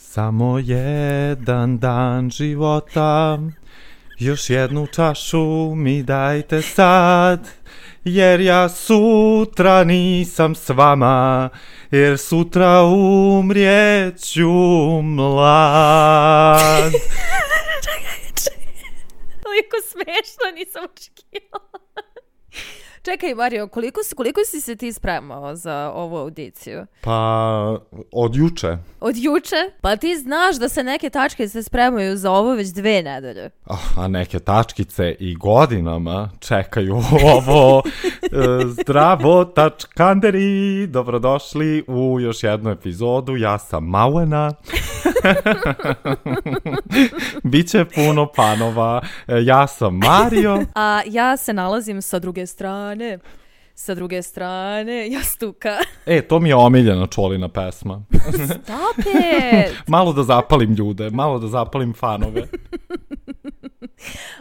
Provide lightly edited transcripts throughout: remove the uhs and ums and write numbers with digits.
Samo jedan dan života, još jednu čašu mi dajte sad, jer ja sutra nisam s vama, jer sutra umrijeću mlad. Toliko smešno, nisam očekivala. Čekaj, Mario, koliko si se ti spremao za ovu audiciju? Pa, od juče. Od juče? Pa ti znaš da se neke tačke se spremaju za ovo već 2 nedelje. A neke tačkice i godinama čekaju ovo. Zdravo, tačkanderi! Dobrodošli u još jednu epizodu. Ja sam Mauena. Biće puno panova. Ja sam Mario. A ja se nalazim sa druge strane. Sa druge strane, jastuka. To mi je omiljena Čolina pesma. Stop it! Malo da zapalim ljude, malo da zapalim fanove.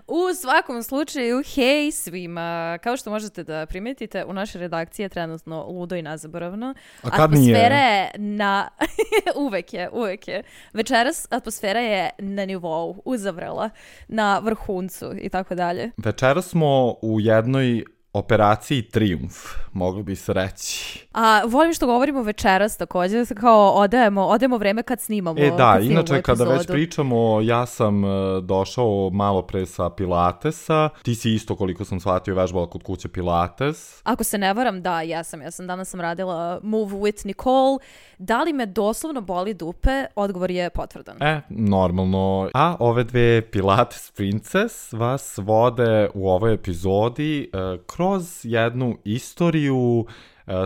U svakom slučaju, hej svima. Kao što možete da primetite, u našoj redakciji je trenutno ludo i nezaboravno. A kad nije? Atmosfera je na... uvek je. Večeras atmosfera je na nivou, uzavrela, na vrhuncu i tako dalje. Večeras smo u jednoj operaciji Trijumf, mogli bi se reći. A volim što govorimo večeras također, kao odajemo vreme kad snimamo. Da, inače kada već pričamo, ja sam došao malo pre sa Pilatesa. Ti si isto, koliko sam shvatio, vežbala kod kuće Pilates. Ako se ne varam, da, ja sam. Danas sam radila Move with Nicole. Da li me doslovno boli dupe? Odgovor je potvrdan. Normalno. A ove dve Pilates Princess vas vode u ovoj epizodi kroz jednu istoriju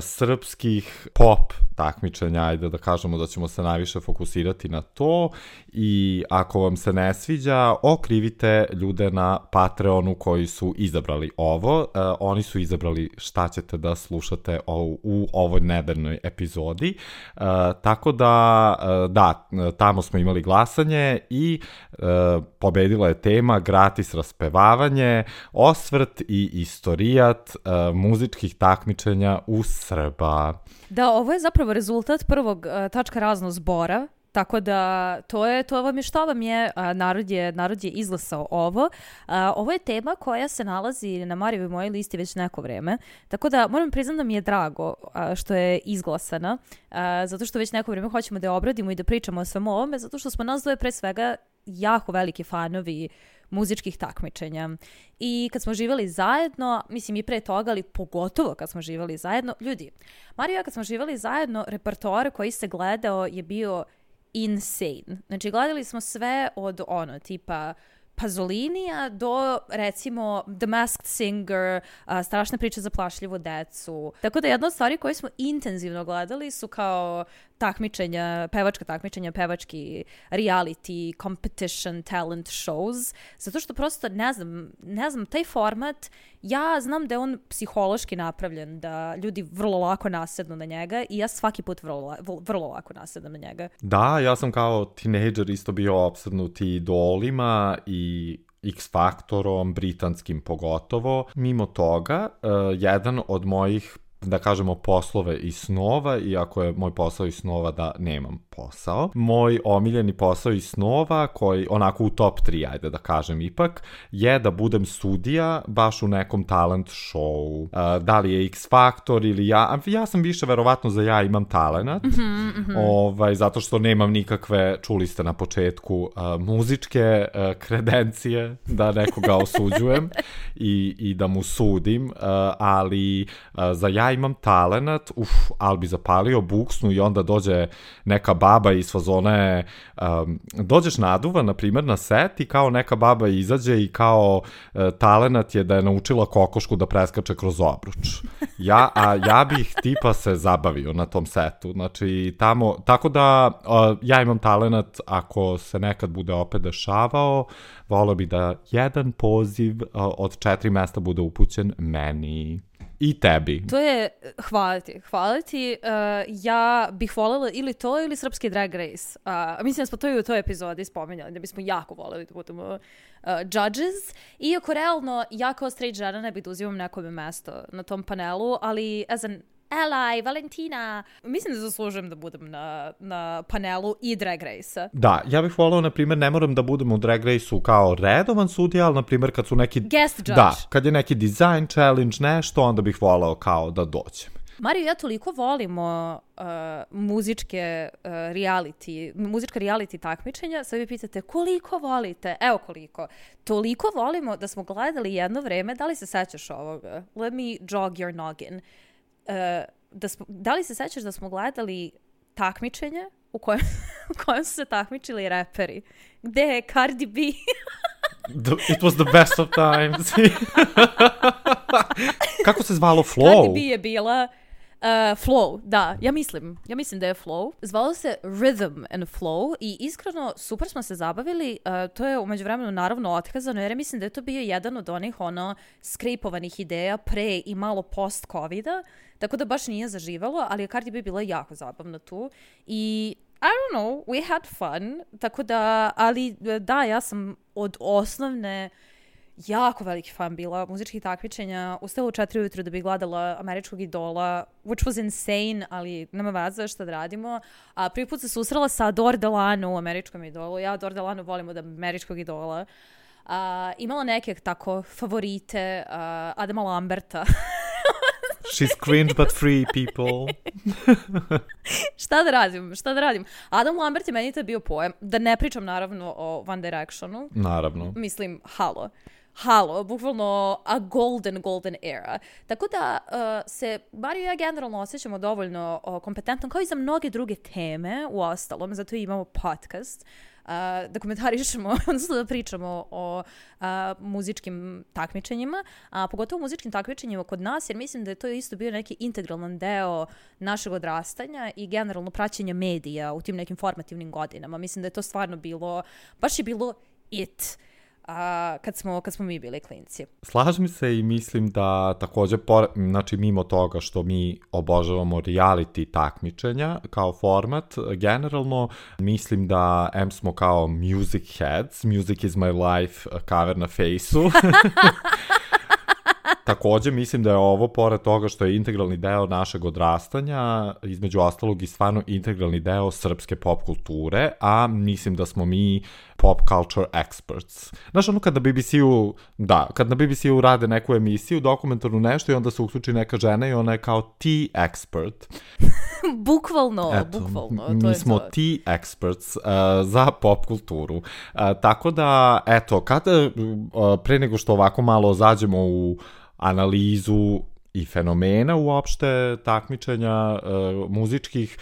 srpskih pop takmičenja, ajde da kažemo da ćemo se najviše fokusirati na to, i ako vam se ne sviđa, okrivite ljude na Patreonu koji su izabrali ovo. Oni su izabrali šta ćete da slušate u ovoj nedeljnoj epizodi. Tako da, tamo smo imali glasanje i pobedila je tema gratis raspevavanje, osvrt i istorijat muzičkih takmičenja u Srba. Da, ovo je zapravo rezultat prvog tačka razno zbora, tako da to vam je šta vam je, narod je izglasao ovo. Ovo je tema koja se nalazi na Marijevoj mojoj listi već neko vreme, tako da moram priznati da mi je drago što je izglasana, zato što već neko vreme hoćemo da je obradimo i da pričamo o svemu ovome, zato što smo nas dvoje pre svega jako veliki fanovi muzičkih takmičenja. I kad smo živjeli zajedno, mislim i pre toga, ali pogotovo kad smo živjeli zajedno, ljudi, Mario, kad smo živjeli zajedno, repertoar koji se gledao je bio insane. Znači, gledali smo sve od tipa Pazolinija do, recimo, The Masked Singer, Strašna priča za plašljivu decu. Tako da jedna od stvari koje smo intenzivno gledali su kao pevačka takmičenja, pevački reality, competition, talent shows, zato što prosto ne znam, taj format, ja znam da je on psihološki napravljen, da ljudi vrlo lako nasednu na njega i ja svaki put vrlo lako nasedam na njega. Da, ja sam kao tinejdžer isto bio opsednut idolima i X-faktorom, britanskim pogotovo. Mimo toga, jedan od mojih, da kažemo, poslove i snova, iako je moj posao i snova da nemam posao. Moj omiljeni posao i snova, koji onako u top 3, ajde da kažem ipak, je da budem sudija baš u nekom talent show. Da li je X-faktor ili ja sam više verovatno za ja imam talenat, zato što nemam nikakve, čuli ste na početku, muzičke kredencije da nekoga osuđujem i da mu sudim, ali za ja imam talenat, ali bi zapalio buksnu i onda dođe neka baba iz fazone, dođeš naduvan, na primjer, na set i kao neka baba izađe i kao talenat je da je naučila kokošku da preskače kroz obruč. Ja bih tipa se zabavio na tom setu. Znači, tamo, tako da ja imam talenat, ako se nekad bude opet dešavao, volio bi da jedan poziv od 4 mesta bude upućen meni. I tebi. To je, hvala ti. Ja bih voljela ili to ili srpski Drag Race. Mislim da smo to i u toj epizodi spominjali, da bismo jako voljeli da budemo judges. Iako realno, ja kao straight žena ne bih da uzimam nekome mesto na tom panelu, ali Ela i Valentina. Mislim da zaslužujem da budem na panelu i Drag Race-a. Da, ja bih volao, na primjer, ne moram da budem u Drag Race-u kao redovan sudija, ali, na primjer, kad su neki... Guest judge. Da, kad je neki design challenge, nešto, onda bih volao kao da dođem. Mario i ja toliko volimo muzička reality takmičenja, sad vi pitate koliko volite? Evo koliko. Toliko volimo da smo gledali jedno vreme, da li se sećaš ovoga? Let me jog your noggin. Da li se sećaš da smo gledali takmičenje u kojem su se takmičili reperi? Gde je Cardi B? It was the best of times. Kako se zvalo? Flow? Cardi B je bila... Flow, da, ja mislim da je Flow. Zvalo se Rhythm and Flow i iskreno super smo se zabavili. To je umeđu vremenu naravno otkazano jer mislim da je to bio jedan od onih skripovanih ideja pre i malo post-covida, tako da baš nije zaživalo, ali je Cardi B bila jako zabavna tu i I don't know, we had fun, tako da, ali da, ja sam od osnovne jako veliki fan bila muzičkih takmičenja. Ustala u 4 ujutru da bi gledala Američkog idola, which was insane, ali nema veze šta da radimo. A prvi put se susrela sa Adore Delano u Američkom idolu. Ja Adore Delano volim od Američkog idola. Imala neke tako favorite, Adama Lamberta. She's cringe but free, people. Šta da radim? Adam Lambert je meni to bio pojem. Da ne pričam naravno o One Directionu. Naravno. Mislim, halo, bukvalno a golden era. Tako da se, bar i ja generalno osjećamo dovoljno kompetentno, kao i za mnoge druge teme, u ostalom, zato imamo podcast, da komentarišemo, odnosno da pričamo o muzičkim takmičenjima, a pogotovo muzičkim takmičenjima kod nas, jer mislim da je to isto bio neki integralan deo našeg odrastanja i generalno praćenja medija u tim nekim formativnim godinama. Mislim da je to stvarno bilo, baš je bilo it. Kad smo mi bili klinci. Slažem se i mislim da također, znači mimo toga što mi obožavamo reality takmičenja kao format, generalno mislim da smo kao music heads, music is my life, cover na fejsu. Također mislim da je ovo, pored toga što je integralni deo našeg odrastanja, između ostalog i stvarno integralni deo srpske pop kulture, a mislim da smo mi pop culture experts. Znaš, ono kad na BBC-u rade neku emisiju, dokumentarnu nešto i onda se uključi neka žena i ona je kao tea expert. Bukvalno. Mi smo tea experts za pop kulturu. Tako da, eto, pre nego što ovako malo zađemo u analizu i fenomena uopšte takmičenja muzičkih,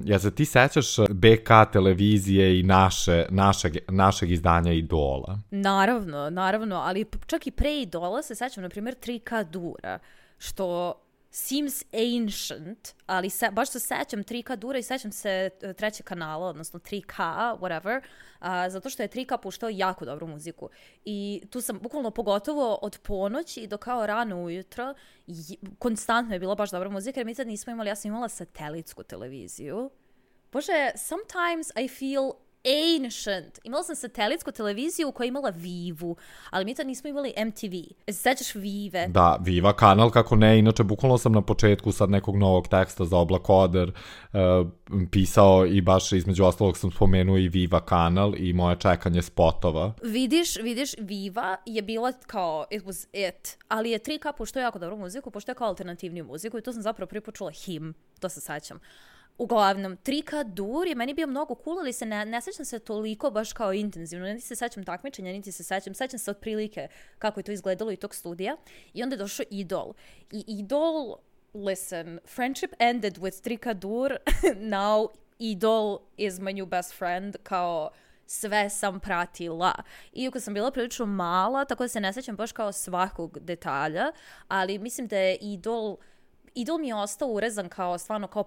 ja se ti sećaš BK televizije i našeg izdanja Idola? Naravno, ali čak i pre Idola se sećam, na primjer, 3K Dura, što seems ancient, ali baš se sećam 3K Dura i sećam se trećeg kanala, odnosno 3K, whatever, zato što je 3K puštao jako dobru muziku. I tu sam bukvalno pogotovo od ponoći do kao rano ujutro, konstantno je bila baš dobra muzika, jer mi tad nismo imali, ja sam imala satelitsku televiziju. Bože, sometimes I feel ancient. Imala sam satelitsku televiziju koja je imala Vivu, ali mi tad nismo imali MTV. Sećaš Vive? Da, Viva kanal, kako ne. Inače, bukvalno sam na početku sad nekog novog teksta za Oblakoder pisao i baš između ostalog sam spomenuo i Viva kanal i moje čekanje spotova. Vidiš, Viva je bila kao it was it, ali je 3K pošto je jako dobru muziku, pošto je kao alternativniju muziku i to sam zapravo prvi počula Him, to se sećam. Uglavnom, 3K Dur je meni bio mnogo cool, ali se ne sećam se toliko baš kao intenzivno. Niti se sećam takmičenja, niti se sećam se otprilike kako je to izgledalo i tog studija. I onda je došao Idol. I Idol, listen, friendship ended with 3K Dur, now Idol is my new best friend, kao sve sam pratila. Iako sam bila prilično mala, tako da se ne sećam baš kao svakog detalja, ali mislim da je Idol mi je ostao urezan kao stvarno kao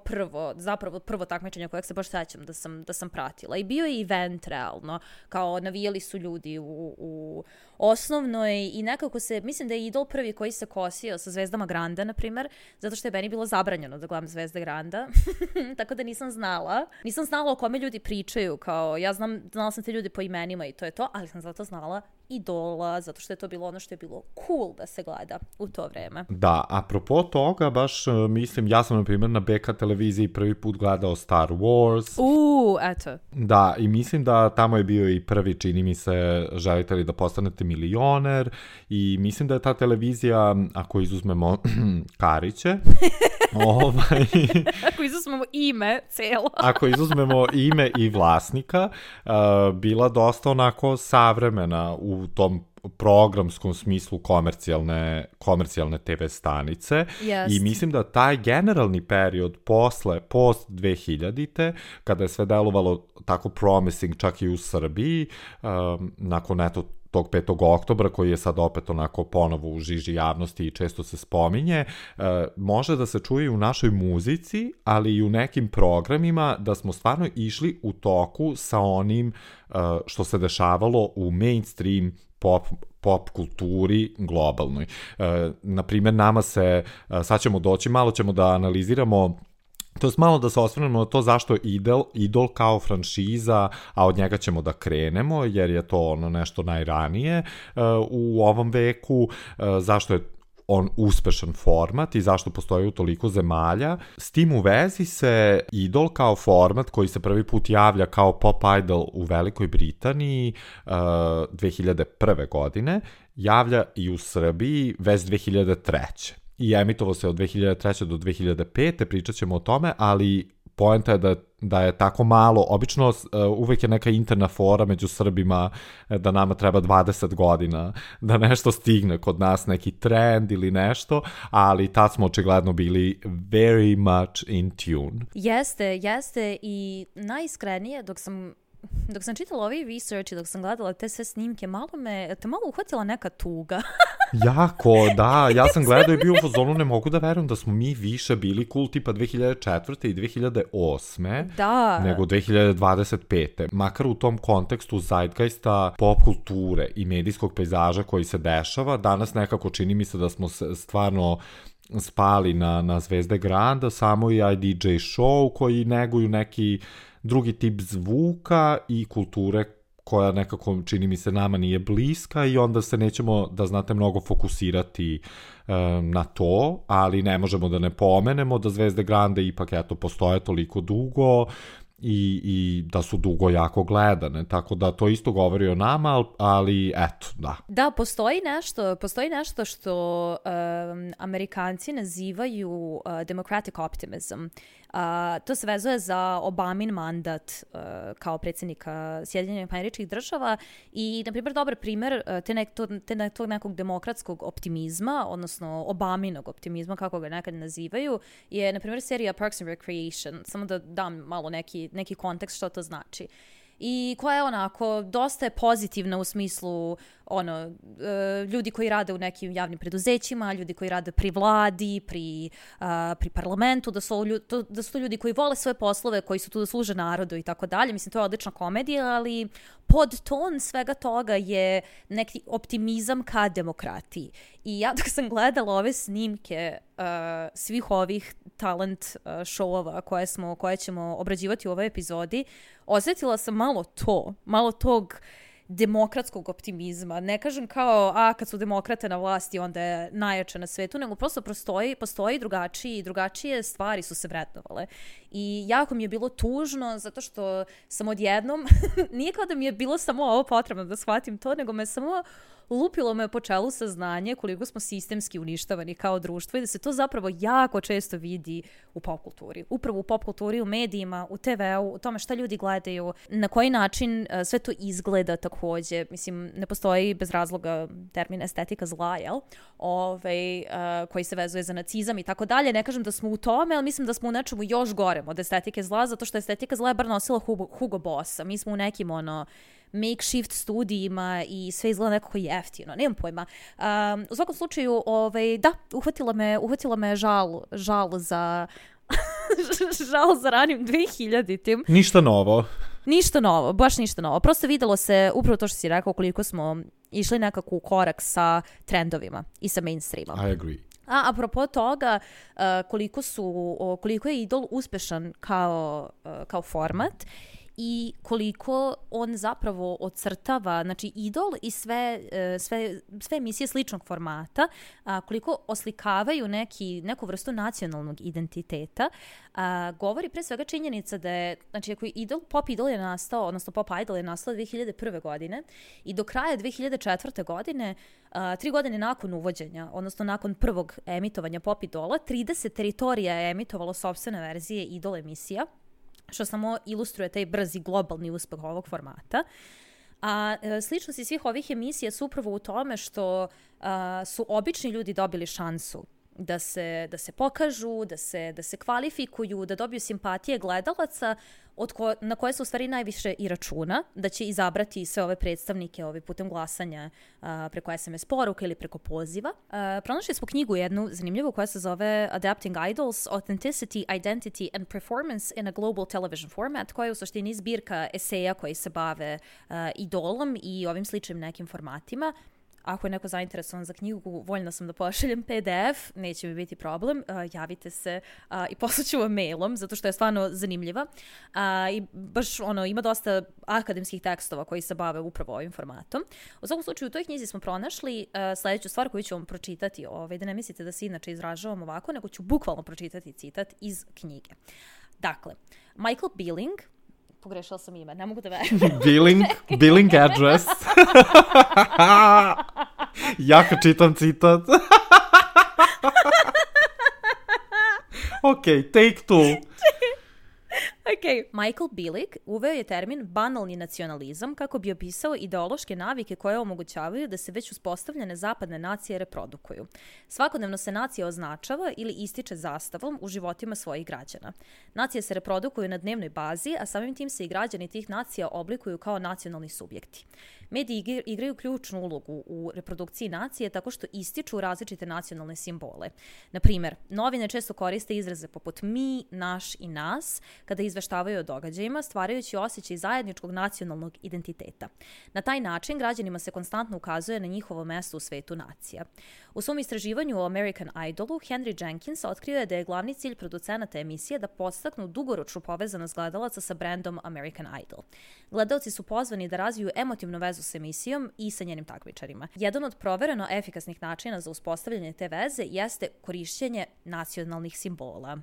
prvo takmičenje kojeg se baš sećam da sam pratila. I bio je event realno, kao navijali su ljudi u osnovnoj i nekako mislim da je Idol prvi koji se kosio sa zvezdama Granda, na primjer, zato što je meni bilo zabranjeno da gledam zvezde Granda, tako da nisam znala o kome ljudi pričaju, kao ja znala sam te ljudi po imenima i to je to, ali sam zato znala Idola, zato što je to bilo ono što je bilo cool da se gleda u to vreme. Da, apropo toga, baš mislim, ja sam na primjer na BK televiziji prvi put gledao Star Wars. Eto. Da, i mislim da tamo je bio i prvi, čini mi se, želite li da postanete milioner, i mislim da je ta televizija, ako izuzmemo Kariće, ako izuzmemo ime celo. Ako izuzmemo ime i vlasnika, bila dosta onako savremena u tom programskom smislu komercijalne TV stanice. I mislim da taj generalni period post 2000-te, kada je sve delovalo tako promising čak i u Srbiji, nakon tog 5. oktobra, koji je sad opet onako ponovo u žiži javnosti i često se spominje, može da se čuje u našoj muzici, ali i u nekim programima, da smo stvarno išli u toku sa onim što se dešavalo u mainstream pop kulturi globalnoj. Naprimjer, nama se, sad ćemo doći, malo ćemo da analiziramo, to je malo da se osvrnemo na to zašto je Idol kao franšiza, a od njega ćemo da krenemo, jer je to ono nešto najranije u ovom veku, zašto je on uspešan format i zašto postoji u toliko zemalja. S tim u vezi se Idol kao format koji se prvi put javlja kao pop idol u Velikoj Britaniji 2001. godine, javlja i u Srbiji već 2003. I emitovao se od 2003. do 2005. Pričat ćemo o tome, ali poenta je da je tako malo, obično uvek je neka interna fora među Srbima da nama treba 20 godina da nešto stigne kod nas, neki trend ili nešto, ali tad smo očigledno bili very much in tune. Jeste i najiskrenije dok sam čitala ovaj research i dok sam gledala te sve snimke, malo uhvatila neka tuga. Jako, da, ja sam gledao i bio u fazonu, ne mogu da verujem da smo mi više bili cool tipa 2004. i 2008. nego 2025. Makar u tom kontekstu zeitgeista pop kulture i medijskog pejzaža koji se dešava, danas nekako čini mi se da smo stvarno spali na zvezde granda, samo i DJ show koji neguju neki drugi tip zvuka i kulture koja nekako, čini mi se, nama nije bliska, i onda se nećemo, da znate, mnogo fokusirati na to, ali ne možemo da ne pomenemo da zvezde grande ipak postoje toliko dugo i da su dugo jako gledane, tako da to isto govori o nama, ali eto, da. Da, postoji nešto što Amerikanci nazivaju democratic optimism. To se vezuje za Obamin mandat kao predsjednika Sjedinjenih Američkih Država i, na primjer, dobar primjer tog nekog demokratskog optimizma, odnosno Obaminog optimizma, kako ga nekad nazivaju, je, na primjer, serija Parks and Recreation. Samo da dam malo neki kontekst što to znači. I koja je onako, dosta je pozitivna u smislu ljudi koji rade u nekim javnim preduzećima, ljudi koji rade pri vladi, pri parlamentu, da su to ljudi koji vole svoje poslove, koji su tu da služe narodu i tako dalje. Mislim, to je odlična komedija, ali podton svega toga je neki optimizam ka demokratiji. I ja dok sam gledala ove snimke svih ovih talent showova koje ćemo obrađivati u ovoj epizodi, osjetila sam malo tog demokratskog optimizma. Ne kažem kao, kad su demokrate na vlasti onda je najjače na svetu, nego prosto postoji drugačije stvari su se vrednovale. I jako mi je bilo tužno, zato što sam odjednom, nije kao da mi je bilo samo ovo potrebno da shvatim to, nego me samo lupilo me po čelu saznanje koliko smo sistemski uništavani kao društvo i da se to zapravo jako često vidi u pop kulturi. Upravo u pop kulturi, u medijima, u TV-u, u tome šta ljudi gledaju, na koji način sve to izgleda takođe. Mislim, ne postoji bez razloga termin estetika zla, jel? Koji se vezuje za nacizam i tako dalje. Ne kažem da smo u tome, ali mislim da smo u nečemu još gorem od estetike zla, zato što estetika zla je bar nosila Hugo Bossa. Mi smo u nekim makeshift studijima i sve izgleda nekako jeftino, nemam pojma. U svakom slučaju, da, uhvatila me žal za žal za ranim 2000-tim. Ništa novo, baš ništa novo. Prosto videlo se upravo to što si rekao, koliko smo išli nekako u korak sa trendovima i sa mainstreamom. I agree. Apropo toga, koliko je Idol uspešan kao format, i koliko on zapravo ocrtava, znači Idol i sve emisije sličnog formata, koliko oslikavaju neku vrstu nacionalnog identiteta, govori pre svega činjenica da je, znači ako Pop Idol je nastao, odnosno Pop Idol je nastao 2001. godine i do kraja 2004. godine, 3 godine nakon uvođenja, odnosno nakon prvog emitovanja Pop Idola, 30 teritorija je emitovalo sopstvene verzije Idol emisija, što samo ilustruje taj brzi globalni uspeh ovog formata. A sličnosti svih ovih emisija su upravo u tome što su obični ljudi dobili šansu da se pokažu, da se kvalifikuju, da dobiju simpatije gledalaca na koje se u stvari najviše i računa, da će izabrati sve ove predstavnike putem glasanja preko SMS poruka ili preko poziva. Pronašli smo knjigu jednu zanimljivu koja se zove Adapting Idols, Authenticity, Identity and Performance in a Global Television Format, koja je u suštini zbirka eseja koji se bave idolom i ovim sličnim nekim formatima. Ako je neko zainteresovan za knjigu, voljna sam da pošaljem PDF, neće mi biti problem, javite se i poslaću vam mailom, zato što je stvarno zanimljiva. I baš ima dosta akademskih tekstova koji se bave upravo ovim formatom. U svakom slučaju, u toj knjizi smo pronašli sledeću stvar koju ću vam pročitati, da ne mislite da se inače izražavam ovako, nego ću bukvalno pročitati citat iz knjige. Dakle, Michael Billing, pogrešala sam ime, ne mogu da verujem. Billing address. Ja kad čitam citat. Ok, take two. Okay. Michael Billig uveo je termin banalni nacionalizam kako bi opisao ideološke navike koje omogućavaju da se već uspostavljene zapadne nacije reprodukuju. Svakodnevno se nacija označava ili ističe zastavom u životima svojih građana. Nacije se reprodukuju na dnevnoj bazi, a samim tim se i građani tih nacija oblikuju kao nacionalni subjekti. Mediji igraju ključnu ulogu u reprodukciji nacije tako što ističu različite nacionalne simbole. Na primjer, novine često koriste izraze poput mi, naš i nas kada izveštavaju o događajima, stvarajući osjećaj zajedničkog nacionalnog identiteta. Na taj način građanima se konstantno ukazuje na njihovo mesto u svetu nacija. U svom istraživanju o American Idolu, Henry Jenkins otkrio je da je glavni cilj producenata emisije da podstaknu dugoročnu povezanost gledalaca sa brendom American Idol. Gledalci su pozvani da razviju emotivnu vezu s emisijom i sa njenim takmičarima. Jedan od provereno efikasnih načina za uspostavljanje te veze jeste korišćenje nacionalnih simbola.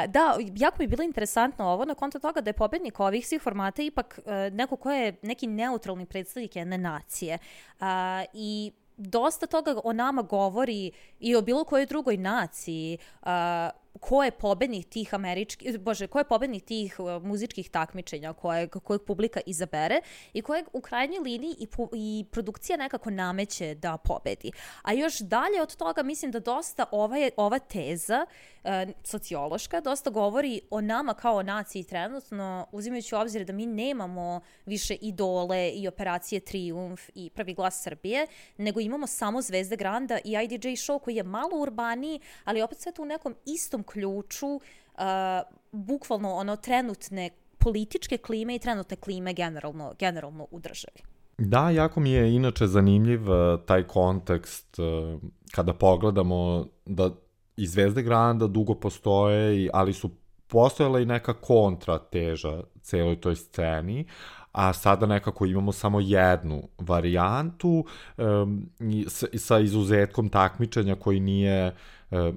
Da, jako mi je bilo interesantno ovo na konto toga da je pobednik ovih svih formata ipak neko ko je neki neutralni predstavnik jedne nacije. I dosta toga o nama govori i o bilo kojoj drugoj naciji, ko je pobednik tih muzičkih takmičenja kojeg publika izabere i kojeg u krajnjoj liniji i produkcija nekako nameće da pobedi. A još dalje od toga mislim da dosta ova teza sociološka dosta govori o nama kao naciji trenutno, uzimajući u obzir da mi nemamo više idole i operacije Trijumf i Prvi glas Srbije, nego imamo samo Zvezde Granda i IDJ show koji je malo urbaniji, ali opet sve to u nekom istom ključu, bukvalno trenutne političke klime i trenutne klime generalno u državi. Da, jako mi je inače zanimljiv taj kontekst kada pogledamo da i Zvezde Granda dugo postoje, ali su postojala i neka kontrateža celoj toj sceni, a sada nekako imamo samo jednu varijantu sa izuzetkom takmičenja koji nije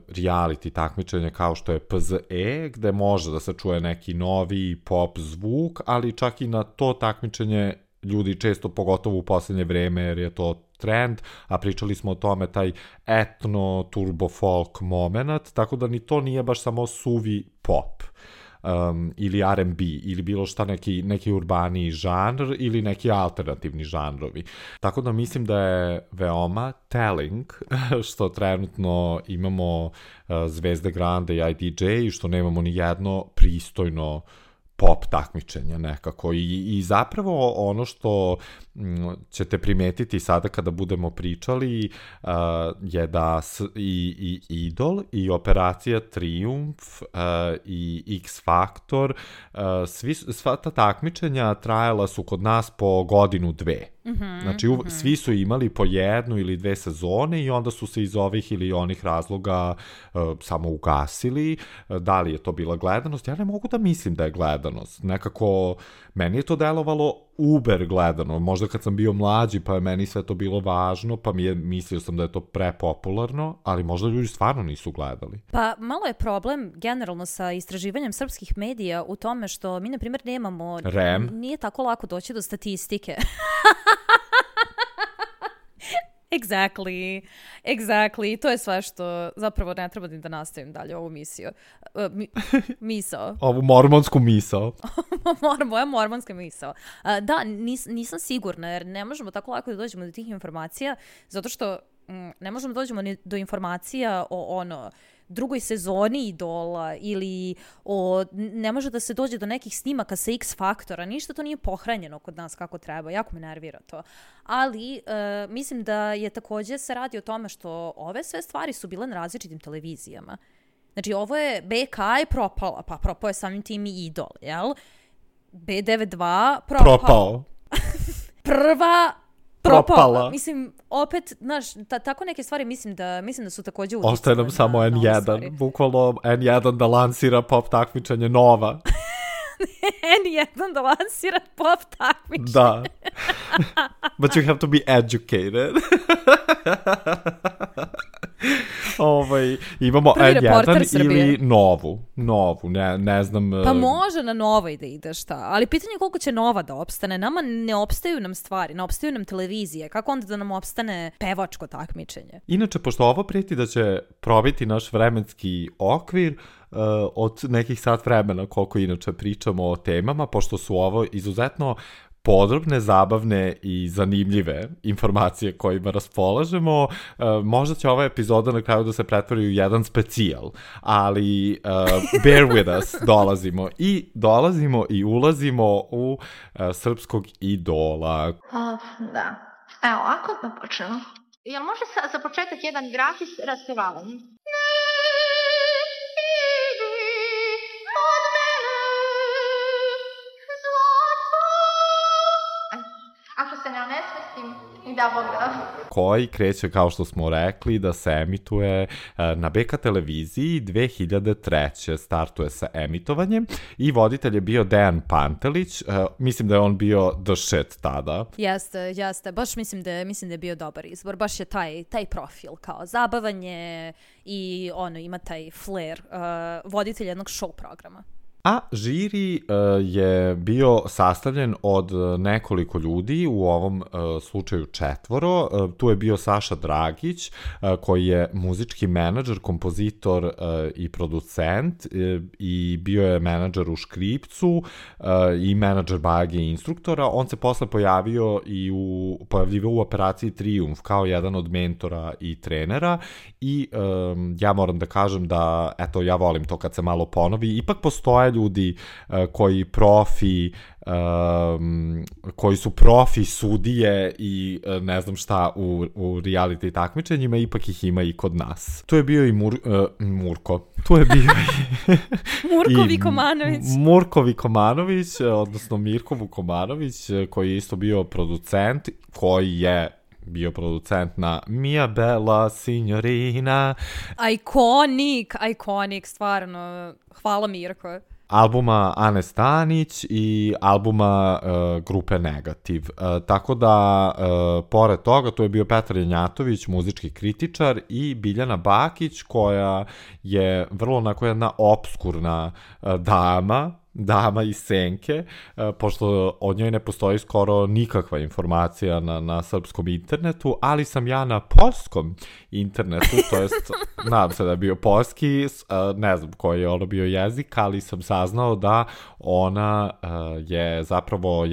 reality takmičenje kao što je PZE, gde može da se čuje neki novi pop zvuk, ali čak i na to takmičenje ljudi često, pogotovo u poslednje vreme, jer je to trend, a pričali smo o tome, taj etno turbo folk moment, tako da ni to nije baš samo suvi pop. Ili R&B, ili bilo šta neki urbaniji žanr, ili neki alternativni žanrovi. Tako da mislim da je veoma telling što trenutno imamo Zvezde Grande i IDJ i što nemamo ni jedno pristojno pop takmičenja nekako. I zapravo ono što ćete primetiti sada kada budemo pričali je da i Idol i Operacija Trijumf i X Factor, sva ta takmičenja trajala su kod nas po 1-2 godine. Znači, svi su imali po 1 ili 2 sezone i onda su se iz ovih ili onih razloga samo ugasili. Da li je to bila gledanost? Ja ne mogu da mislim da je gledanost. Nekako, meni je to delovalo uber gledano. Možda kad sam bio mlađi, pa je meni sve to bilo važno, pa mislio sam da je to prepopularno, ali možda ljudi stvarno nisu gledali. Pa malo je problem generalno sa istraživanjem srpskih medija u tome što mi, na primjer, nemamo... REM. Nije tako lako doći do statistike. Exactly. To je sve što zapravo ne treba da nastavim dalje ovu misiju. Misao. Ovu mormonsku misao. Moja mormonska misao. Da, nisam sigurna jer ne možemo tako lako da dođemo do tih informacija zato što ne možemo da dođemo ni do informacija o drugoj sezoni Idola ili ne može da se dođe do nekih snimaka sa X Faktora, ništa to nije pohranjeno kod nas kako treba, jako me nervira to. Ali mislim da je također se radi o tome što ove sve stvari su bile na različitim televizijama. Znači ovo je BK je propala, pa propao je samim tim i Idol, jel? B92 propao. Prva propala. Mislim, opet, znaš, tako neke stvari mislim da su također uticale. Ostaje nam samo N1, bukvalno N1 da lansira pop takmičenje Nova. N1 da lansira pop takmičenje. Da. But you have to be educated. Imamo N1 ili Novu, ne znam. Pa može na Novoj da ide šta, ali pitanje je koliko će Nova da opstane. Nama ne opstaju nam stvari, ne opstaju nam televizije, kako onda da nam opstane pevačko takmičenje? Inače, pošto ovo prijeti da će probiti naš vremenski okvir, od nekih sat vremena koliko inače pričamo o temama, pošto su ovo izuzetno podrobne, zabavne i zanimljive informacije kojima raspolažemo. Možda će ova epizoda na kraju da se pretvori u jedan specijal, ali bear with us, dolazimo i ulazimo u srpskog idola. Da. Evo, ako da počnemo. Jel može za početak jedan gratis raspevavanje? Ako se ne onesvestim, i da Bog da. Koji kreće, kao što smo rekli, da se emituje na BK televiziji 2003. Startuje sa emitovanjem i voditelj je bio Dejan Pantelić. Mislim da je on bio the shit tada. Jeste. Baš mislim da je bio dobar izbor. Baš je taj profil kao zabavanje i ima taj flair voditelj jednog show programa. A žiri je bio sastavljen od nekoliko ljudi, u ovom slučaju 4. Tu je bio Saša Dragić, koji je muzički menadžer, kompozitor i producent, i bio je menadžer u Škripcu i menadžer Bajage i instruktora. On se posle pojavljivao u Operaciji Trijumf kao jedan od mentora i trenera i ja moram da kažem da, eto, ja volim to kad se malo ponovi, ipak postoje ljudi koji su profi sudije i ne znam šta u reality takmičenjima, ipak ih ima i kod nas. Tu je bio i Murko. Tu je bio Murko Vikomanović. Murko Vikomanović, odnosno Mirko Vukomanović, koji je isto bio producent, koji je bio producent na Mia Bella Signorina. Iconic, stvarno. Hvala Mirko. Albuma Ane Stanić i albuma grupe Negativ. Tako da, pored toga, tu je bio Petar Janjatović, muzički kritičar, i Biljana Bakić, koja je vrlo onako jedna obskurna dama iz senke, pošto od njoj ne postoji skoro nikakva informacija na srpskom internetu, ali sam ja na polskom internetu, to jest, nadam se da je bio polski, ne znam koji je bio jezik, ali sam saznao da ona je zapravo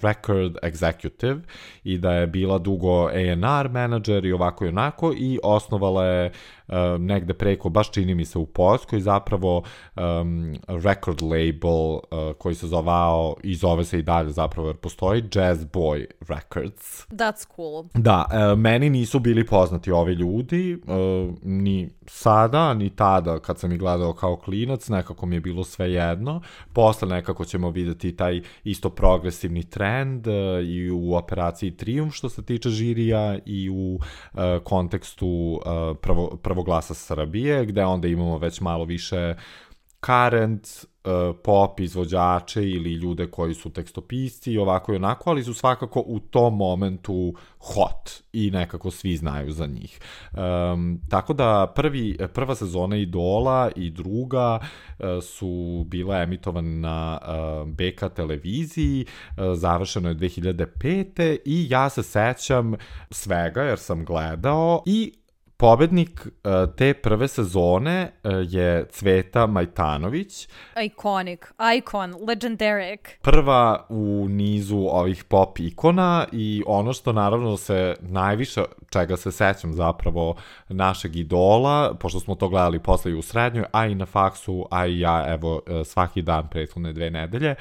record executive i da je bila dugo A&R menadžer i ovako i onako, i osnovala je negde preko, baš čini mi se u Poljskoj, zapravo record label label koji se zvao i zove se i dalje zapravo jer postoji Jazz Boy Records. That's cool. Da, meni nisu bili poznati ovi ljudi, ni sada, ni tada kad sam ih gledao kao klinac, nekako mi je bilo sve jedno. Posle nekako ćemo vidjeti taj isto progresivni trend i u operaciji Triumf što se tiče žirija i u kontekstu Prvoglasa Srbije, gde onda imamo već malo više current pop izvođače ili ljude koji su tekstopisci i ovako i onako, ali su svakako u tom momentu hot i nekako svi znaju za njih. Tako da prva sezona Idola i druga su bila emitovane na BK televiziji, završeno je 2005. i ja se sećam svega jer sam gledao i pobednik te prve sezone je Cveta Majtanović. Icon, legendaric. Prva u nizu ovih pop ikona i ono što naravno se najviše, čega se sećam zapravo našeg idola, pošto smo to gledali posle i u srednjoj, a i na faksu, a i ja, evo, svaki dan prethodne 2 nedelje,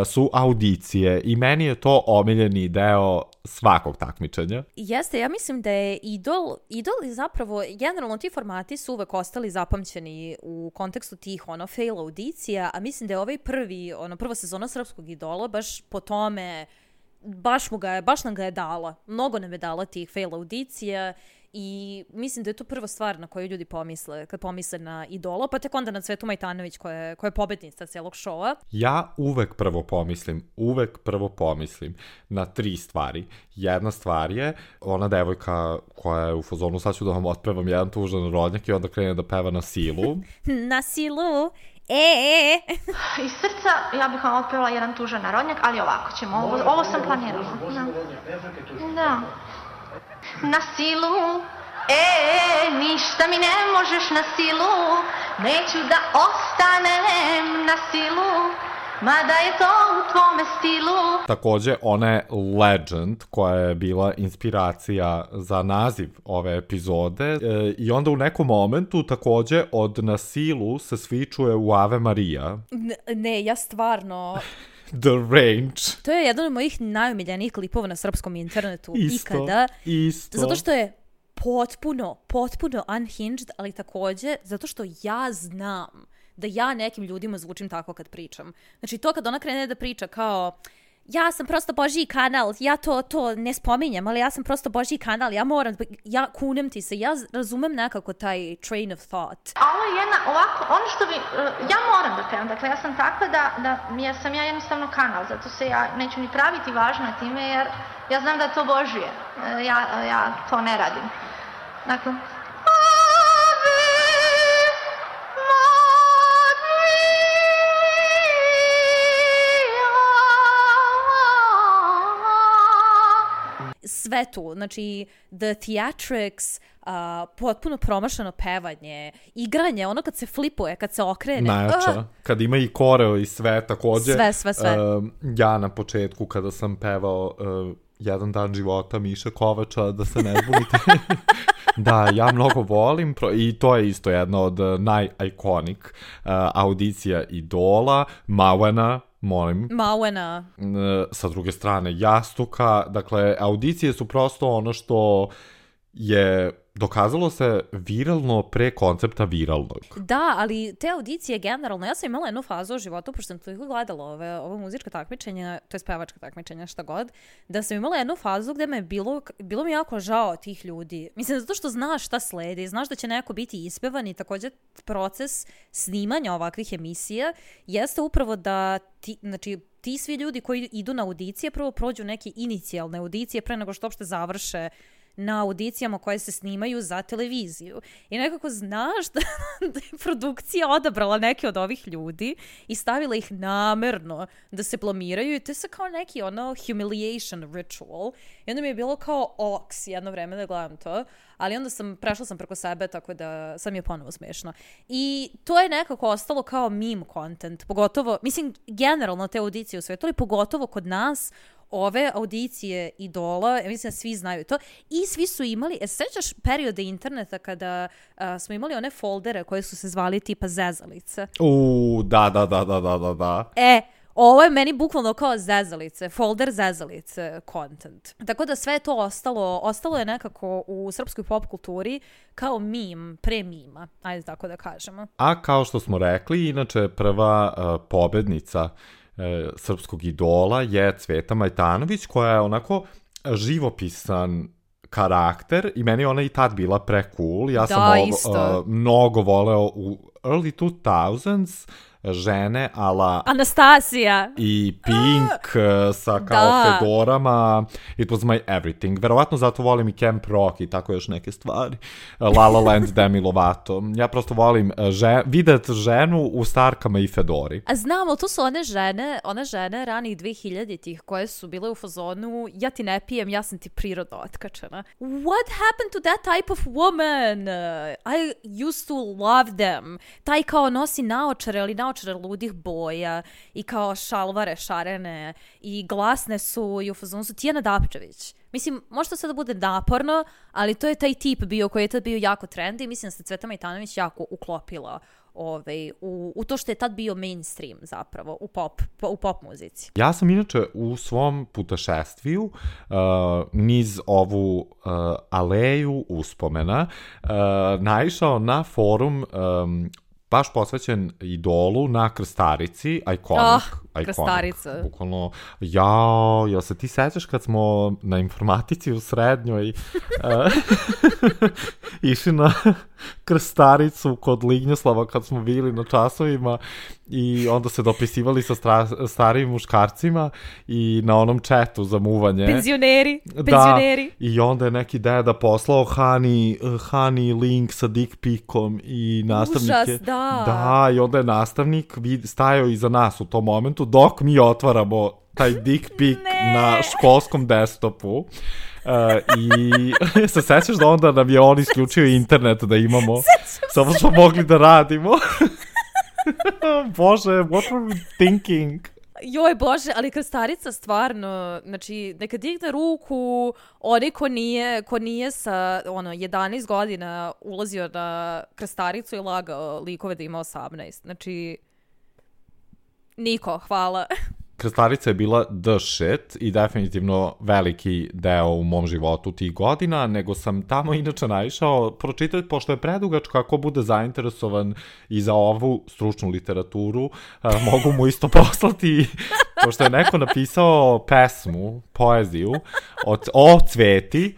su audicije i meni je to omiljeni deo svakog takmičenja. Jeste, ja mislim da je Idol je zapravo, generalno ti formati su uvek ostali zapamćeni u kontekstu tih fail audicija, a mislim da je ovaj prva sezona Srpskog Idola baš po tome, baš nam ga je dala. Mnogo nam je dala tih fail audicija i mislim da je to prva stvar na koju ljudi pomisle kad pomisle na Idola, pa tek onda na Cvetu Majtanović koja je pobednica celog šova. Ja uvek prvo pomislim na 3 stvari. Jedna stvar je ona devojka koja je u fazonu sad ću da vam otpevam jedan tužan rodnjak i onda krene da peva na silu. Na silu. Iz srca ja bih vam otpevala jedan tužan narodnjak, ali ovako ćemo, ovo sam planirala. Da. Na silu, ništa mi ne možeš na silu, neću da ostanem na silu, mada je to u tvome stilu. Takođe, ona je legend koja je bila inspiracija za naziv ove epizode i onda u nekom momentu takođe od na silu se svi čuje u Ave Maria. Ne, ja stvarno... The Range. To je jedan od mojih najomiljenijih klipova na srpskom internetu ikada. Isto. Zato što je potpuno unhinged, ali takođe zato što ja znam da ja nekim ljudima zvučim tako kad pričam. Znači to kad ona krene da priča kao ja sam prosto Božji kanal, ja to ne spominjem, ali ja sam prosto Božji kanal, ja kunem ti se, ja razumem nekako taj train of thought. A ovo je jedna, ovako, ono što bi, ja moram da pevam, dakle ja sam takva da sam ja jednostavno kanal, zato se ja neću ni praviti važna time, jer ja znam da je to Božje, ja to ne radim. Dakle, sve tu, znači the theatrics, potpuno promašano pevanje, igranje, ono kad se flipuje, kad se okrene. Najjača, kad ima i koreo i sve, takođe. Sve. Ja na početku kada sam pevao Jedan dan života Miše Kovača, da se ne zbunite. Da, ja mnogo volim i to je isto jedna od najikonik audicija Idola, Mauena, molim. Mauena. Sa druge strane Jastuka, dakle audicije su prosto ono što je dokazalo se viralno pre koncepta viralnog. Da, ali te audicije generalno, ja sam imala jednu fazu u životu, pošto sam toliko gledala ove muzička takmičenja, to je pevačka takmičenja, šta god, da sam imala jednu fazu gde me bilo mi jako žao tih ljudi. Mislim, zato što znaš šta sledi, znaš da će neko biti ispevan i također proces snimanja ovakvih emisija jeste upravo da ti svi ljudi koji idu na audicije prvo prođu neke inicijalne audicije pre nego što uopšte završe na audicijama koje se snimaju za televiziju. I nekako znaš da je produkcija odabrala neke od ovih ljudi i stavila ih namerno da se blamiraju i to je se kao neki humiliation ritual. I onda mi je bilo kao oks jedno vreme da gledam to, ali onda prešla sam preko sebe, tako da sad mi je ponovo smešno. I to je nekako ostalo kao meme content, pogotovo, mislim, generalno te audicije u svetu, ali pogotovo kod nas, ove audicije Idola, mislim da svi znaju to, i svi su imali, sećaš periode interneta kada smo imali one foldere koje su se zvali tipa zezalice? Da. Ovo je meni bukvalno kao zezalice, folder zezalice content. Tako da sve je to ostalo je nekako u srpskoj pop kulturi kao meme, pre mima, ajde tako da kažemo. A kao što smo rekli, inače prva pobednica srpskog Idola je Cveta Majtanović, koja je onako živopisan karakter i meni ona i tad bila pre cool. Ja sam mnogo voleo u early 2000s žene ala Anastasija i Pink sa kao fedorama. It was my everything. Verovatno zato volim i Camp Rock i tako još neke stvari. La La Land, Demi Lovato. Ja prosto volim vidjet ženu u starkama i fedori. A znamo, to su one žene ranih 2000-ih koje su bile u fazonu ja ti ne pijem, ja sam ti prirodno otkačena. What happened to that type of woman? I used to love them. Taj kao nosi naočare, ali naočare ludih boja i kao šalvare šarene i glasne su i u fazonu su Tijana Dapčević. Mislim, može to sada da bude naporno, ali to je taj tip bio koji je tad bio jako trendy i mislim da se Cveta Majtanović jako uklopila u to što je tad bio mainstream zapravo u pop muzici. Ja sam inače u svom putešestviju niz ovu aleju uspomena naišao na forum baš posvećen Idolu na Krstarici, iconic. Krstarica. Bukvalno, jel se ti sećaš kad smo na informatici u srednjoj išli na Krstaricu kod Lignjoslava kad smo bili na časovima i onda se dopisivali sa starijim muškarcima i na onom chatu za muvanje. Penzioneri. I onda je neki deda poslao Hani link sa dick pikom i nastavnik je... Užas, da. Da, i onda je nastavnik stajao iza nas u tom momentu dok mi otvaramo taj dick pic na školskom desktopu. I se sećaš da onda nam je on isključio internet da imamo, samo smo mogli da radimo. Bože, what were we thinking? Joj Bože, ali Krstarica stvarno, znači neka digne ruku onaj ko nije sa 11 godina ulazio na Krstaricu i lagao likove da ima 18. Znači, niko, hvala. Krstarica je bila the shit i definitivno veliki deo u mom životu tih godina, nego sam tamo inače naišao pročitati, pošto je predugačka, ako bude zainteresovan i za ovu stručnu literaturu, mogu mu isto poslati, pošto je neko napisao pesmu, poeziju o Cveti,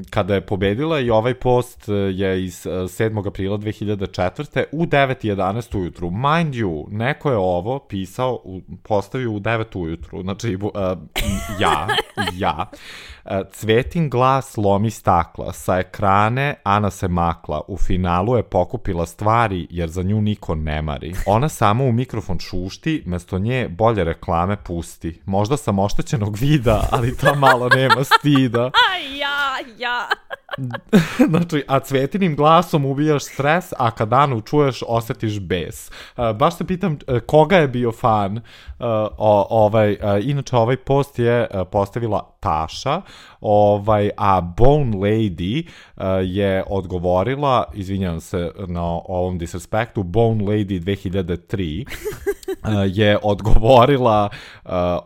kada je pobedila i ovaj post je iz 7. aprila 2004. u 9:11 ujutru. Mind you, neko je ovo pisao, postavio u 9 ujutru. Znači, ja. Cvetin glas lomi stakla, sa ekrane Ana se makla, u finalu je pokupila stvari jer za nju niko ne mari. Ona samo u mikrofon šušti, mesto nje bolje reklame pusti. Možda sam oštećenog vida, ali to malo nema stida. Ja. Znači, a Cvetinim glasom ubijaš stres, a kad Anu čuješ, osjetiš bes. Baš se pitam koga je bio fan. Inače, ovaj post je postavila Taša, a Bone Lady je odgovorila, izvinjavam se na ovom disrespektu, Bone Lady 2003 je odgovorila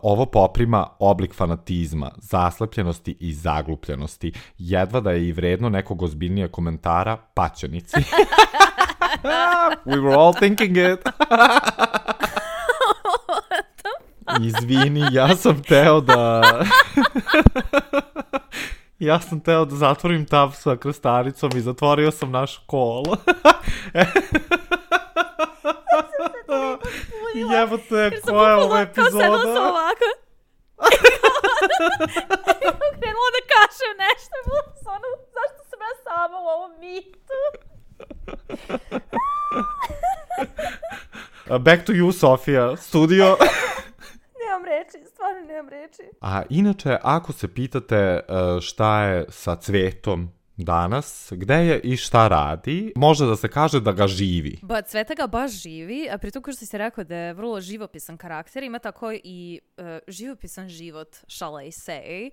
ovo poprima oblik fanatizma, zaslepljenosti i zaglupljenosti. Jedva da je i vredno nekog ozbiljnije komentara, paćenici. We were all thinking it. Izvini, ja sam teo da zatvorim tab sa Krstaricom i zatvorio sam naš call. Jebote, koja je ova epizoda? Kao sedla sam ovako. Krenula da kažem nešto. Zašto sam ja sama u ovom mitu? Back to you, Sofija. Studio. Stvarno nemam reči. A inače, ako se pitate šta je sa Cvetom danas, gde je i šta radi, može da se kaže da ga živi. Cveta ga baš živi, a pritom kao što si rekao da je vrlo živopisan karakter, ima tako i živopisan život, shall I say,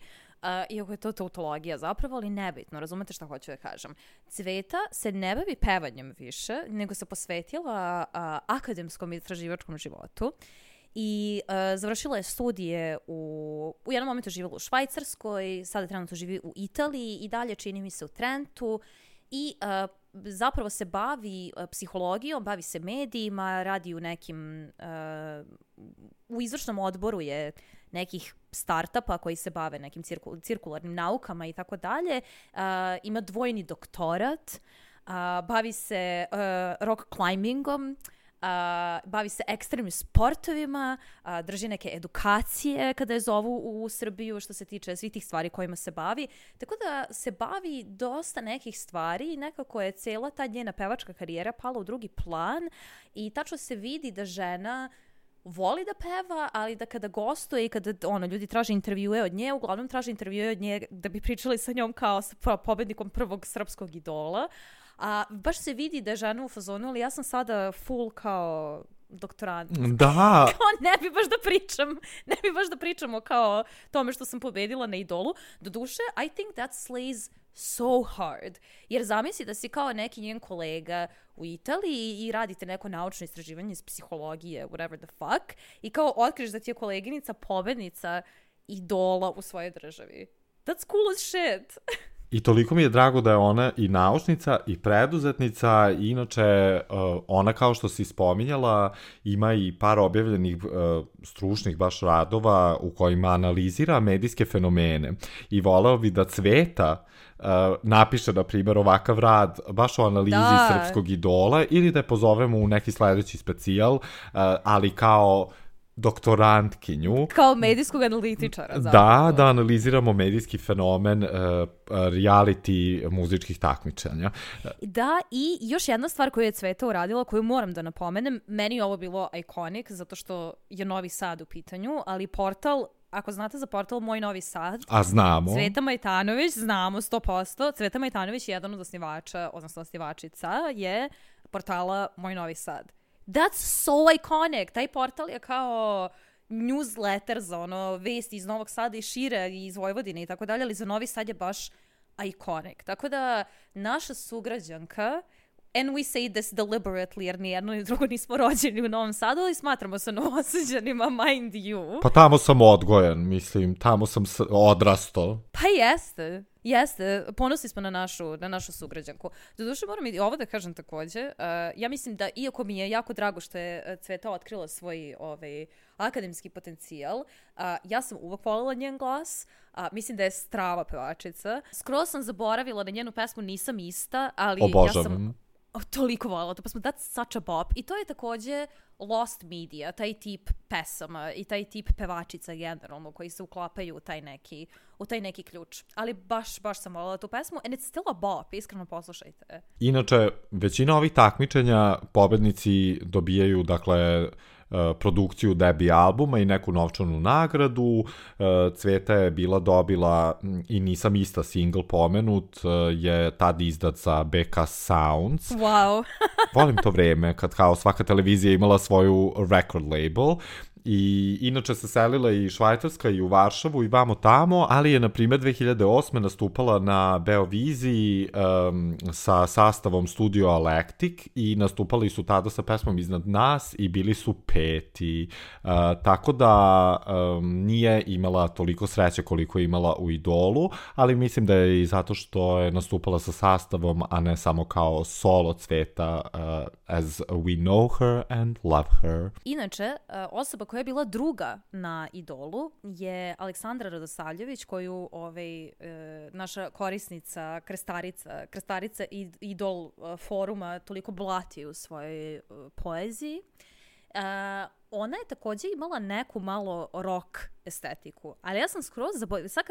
iako je to tautologija zapravo, ali nebitno, razumete šta hoću da kažem. Cveta se ne bavi pevanjem više, nego se posvetila akademskom i istraživačkom životu. I završila je studije u jednom momentu živjela u Švajcarskoj, sada trenutno živi u Italiji i dalje čini mi se u Trentu i zapravo se bavi psihologijom, bavi se medijima, radi u nekim, u izvršnom odboru je nekih startupa koji se bave nekim cirkularnim naukama i tako dalje. Ima dvojni doktorat, bavi se rock climbingom, bavi se ekstremnim sportovima, drži neke edukacije kada je zovu u Srbiju što se tiče svih tih stvari kojima se bavi. Tako da se bavi dosta nekih stvari i nekako je cijela ta njena pevačka karijera pala u drugi plan i tačno se vidi da žena voli da peva, ali da kada gostuje i kada ljudi traže intervjue od nje, uglavnom traže intervjue od nje da bi pričali sa njom kao sa pobednikom prvog srpskog idola. A baš se vidi da je žena u fazonu, ali ja sam sada full kao doktorant. Da. Kao ne bi baš da pričamo kao tome što sam pobedila na idolu. Doduše, I think that slays so hard. Jer zamisli da si kao neki njen kolega u Italiji i radite neko naučno istraživanje iz psihologije, whatever the fuck, i kao otkriš da ti je koleginica pobednica idola u svojoj državi. That's cool as shit. I toliko mi je drago da je ona i naučnica i preduzetnica i inače ona kao što si spominjala ima i par objavljenih stručnih baš radova u kojima analizira medijske fenomene i voleo bi da Cveta napiše na primjer ovakav rad baš o analizi srpskog idola ili da je pozovemo u neki sledeći specijal, ali kao doktorantkinju. Kao medijskog analitičara. Zapravo. Da analiziramo medijski fenomen reality muzičkih takmičenja. Da, i još jedna stvar koju je Cveta uradila, koju moram da napomenem, meni je ovo bilo iconic, zato što je Novi Sad u pitanju, ali portal, ako znate za portal Moj Novi Sad, a znamo. Cveta Majtanović, znamo 100%, Cveta Majtanović je jedan od osnivača, odnosno osnivačica, je portala Moj Novi Sad. That's so iconic. Taj portal je kao newsletter za vesti iz Novog Sada i šire i iz Vojvodine i tako dalje, ali za Novi Sad je baš iconic. Tako da naša sugrađanka, and we say this deliberately jer nijedno ni drugo nismo rođeni u Novom Sadu, ali smatramo se novosađanima, mind you. Pa tamo sam odgojen, mislim, tamo sam odrasto. Pa jeste, ponosni smo na našu sugrađanku. Doduše moram i ovo da kažem takođe, ja mislim da iako mi je jako drago što je Cveta otkrila svoj akademski potencijal, ja sam uvek voljela njen glas, mislim da je strava pevačica. Skoro sam zaboravila na njenu pesmu Nisam ista, ali obožavam. Ja sam toliko voljela to pesmu, that's such a bop. I to je takođe lost media, taj tip pesama i taj tip pevačica generalno koji se uklapaju u taj neki ključ. Ali baš sam voljela tu pesmu and it's still a bop, iskreno poslušajte. Inače, većina ovih takmičenja pobednici dobijaju, dakle, produkciju debi albuma i neku novčanu nagradu. Cveta je dobila i Nisam ista single pomenut, je tad izdat za BK Sounds. Wow. Volim to vreme kad kao svaka televizija imala svoju record label. I inače se selila i Švajcarska i u Varšavu i vamo tamo, ali je na primjer 2008. nastupala na Beoviziji sa sastavom Studio Electric i nastupali su tada sa pesmom Iznad nas i bili su peti. Tako da nije imala toliko sreće koliko je imala u Idolu, ali mislim da je i zato što je nastupala sa sastavom, a ne samo kao solo Cveta, as we know her and love her. Inače, osoba koja je bila druga na Idolu je Aleksandra Radosavljević, koju naša korisnica, krstarica Idol foruma toliko blati u svojoj poeziji. Ona je također imala neku malo rock estetiku, ali ja sam skroz zaboravila, sad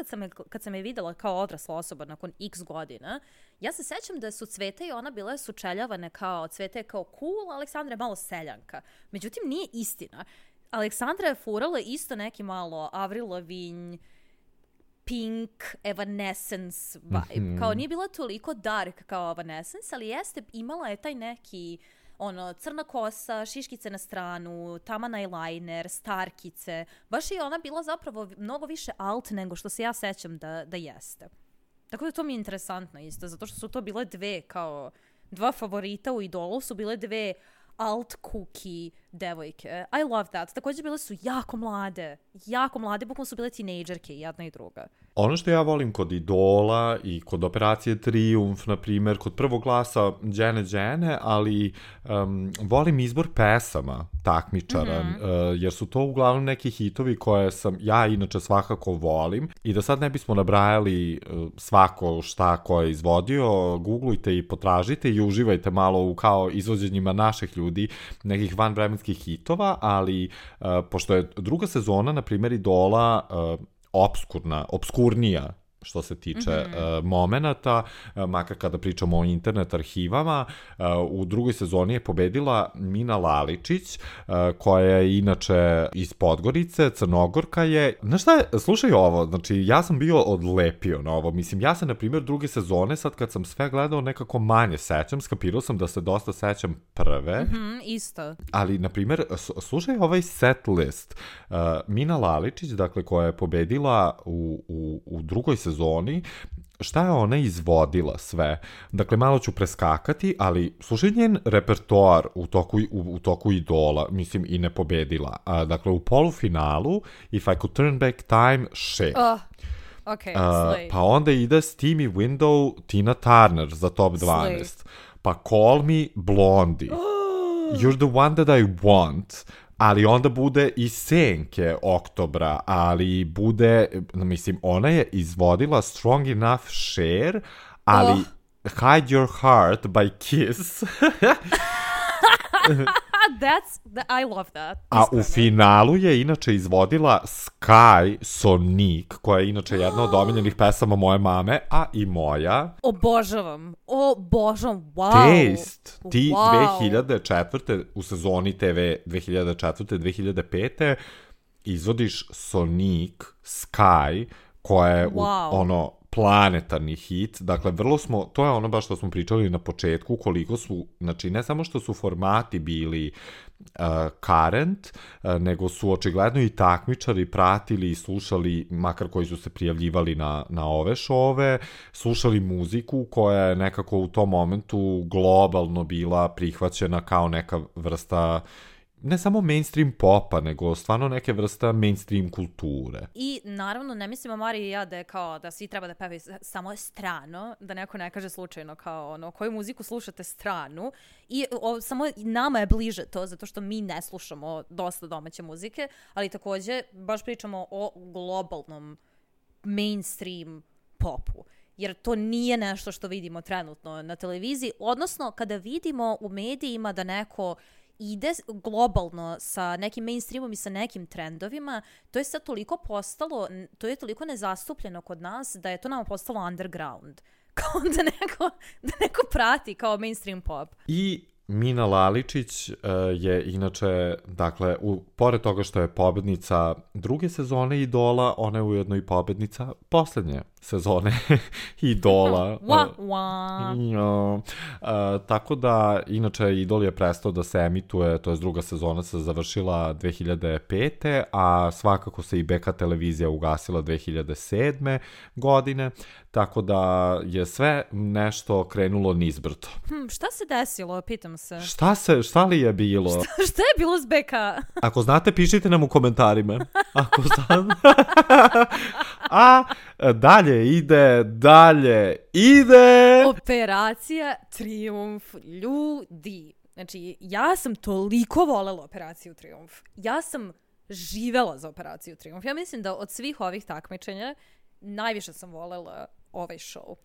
kad sam je videla kao odrasla osoba nakon x godina, ja se sećam da su Cveta i ona bile sučeljavane kao Cveta je kao cool, Aleksandra je malo seljanka. Međutim, nije istina. Aleksandra je furala isto neki malo Avril Lavigne, Pink, Evanescence vibe. Kao nije bila toliko dark kao Evanescence, ali imala je taj neki crna kosa, šiškice na stranu, taman eyeliner, starkice. Baš je ona bila zapravo mnogo više alt nego što se ja sećam da jeste. Tako da to mi je interesantno isto, zato što su to bile dva favorita u Idolu su bile dve alt cookie devojke. I love that. Također bile su jako mlade, bukvalno su bile tinejdžerke, jedna i druga. Ono što ja volim kod Idola i kod Operacije Trijumf, na primjer, kod prvog glasa Đene, ali volim izbor pesama takmičara, jer su to uglavnom neki hitovi koje sam ja inače svakako volim. I da sad ne bismo nabrajali svako šta ko je izvodio, googlujte i potražite i uživajte malo u kao izvođenjima naših ljudi, nekih vanvremenskih hitova, ali pošto je druga sezona, na primjer, Idola obskurnija što se tiče momenata, makar kada pričamo o internet arhivama. U drugoj sezoni je pobedila Mina Laličić, koja je inače iz Podgorice, Crnogorka je. Znaš šta je, slušaj ovo, znači ja sam bio odlepio na ovo, mislim, ja se na primjer druge sezone, sad kad sam sve gledao nekako manje sećam, skapirao sam da se dosta sećam prve. Isto. Ali, na primjer, slušaj ovaj set list. Mina Laličić, dakle, koja je pobedila u drugoj sezoni, šta je ona izvodila sve? Dakle, malo ću preskakati, ali slušaj njen repertoar u toku Idola, mislim, i ne pobedila. Dakle, u polufinalu If I Could Turn Back Time, shit. Okay, pa onda ide Steamy Window, Tina Turner za top 12. Slay. Pa Call Me, Blondie. You're the one that I want. Ali onda bude i Senke Oktobra, ali bude, mislim, ona je izvodila Strong Enough Cher, ali Hide Your Heart by Kiss. I love that. A u finalu je inače izvodila Sky Sonic, koja je inače jedna od omiljenih pesama moje mame, a i moja. Obožavam, wow. Taste, ti 2004. u sezoni TV 2004-2005. izvodiš Sonic, Sky, koja je planetarni hit. Dakle, to je ono baš što smo pričali na početku, koliko su, znači, ne samo što su formati bili current, nego su očigledno i takmičari pratili i slušali, makar koji su se prijavljivali na ove šove, slušali muziku koja je nekako u tom momentu globalno bila prihvaćena kao neka vrsta ne samo mainstream popa, nego stvarno neke vrsta mainstream kulture. I naravno, ne mislimo Marija i ja da je kao da svi treba da pevaju samo strano, da neko ne kaže slučajno kao koju muziku slušate stranu. I samo nama je bliže to, zato što mi ne slušamo dosta domaće muzike, ali također baš pričamo o globalnom mainstream popu. Jer to nije nešto što vidimo trenutno na televiziji, odnosno kada vidimo u medijima da neko ide globalno sa nekim mainstreamom i sa nekim trendovima, to je sad toliko postalo, to je toliko nezastupljeno kod nas da je to nama postalo underground. Kao da neko prati kao mainstream pop. I Mina Laličić je inače, dakle, pored toga što je pobednica druge sezone Idola, ona je ujedno i pobednica poslednje sezone Idola. Tako da, inače, Idol je prestao da se emituje, to je druga sezona se završila 2005. A svakako se i BK televizija ugasila 2007. godine, tako da je sve nešto krenulo nizbrdo. Šta se desilo, pitam se? Šta li je bilo? Šta je bilo s BK? Ako znate, pišite nam u komentarima. Ako znate. A dalje ide Operacija Trijumf, ljudi. Znači, ja sam toliko volela Operaciju Trijumf. Ja sam živela za Operaciju Trijumf. Ja mislim da od svih ovih takmičenja najviše sam volela ovaj show.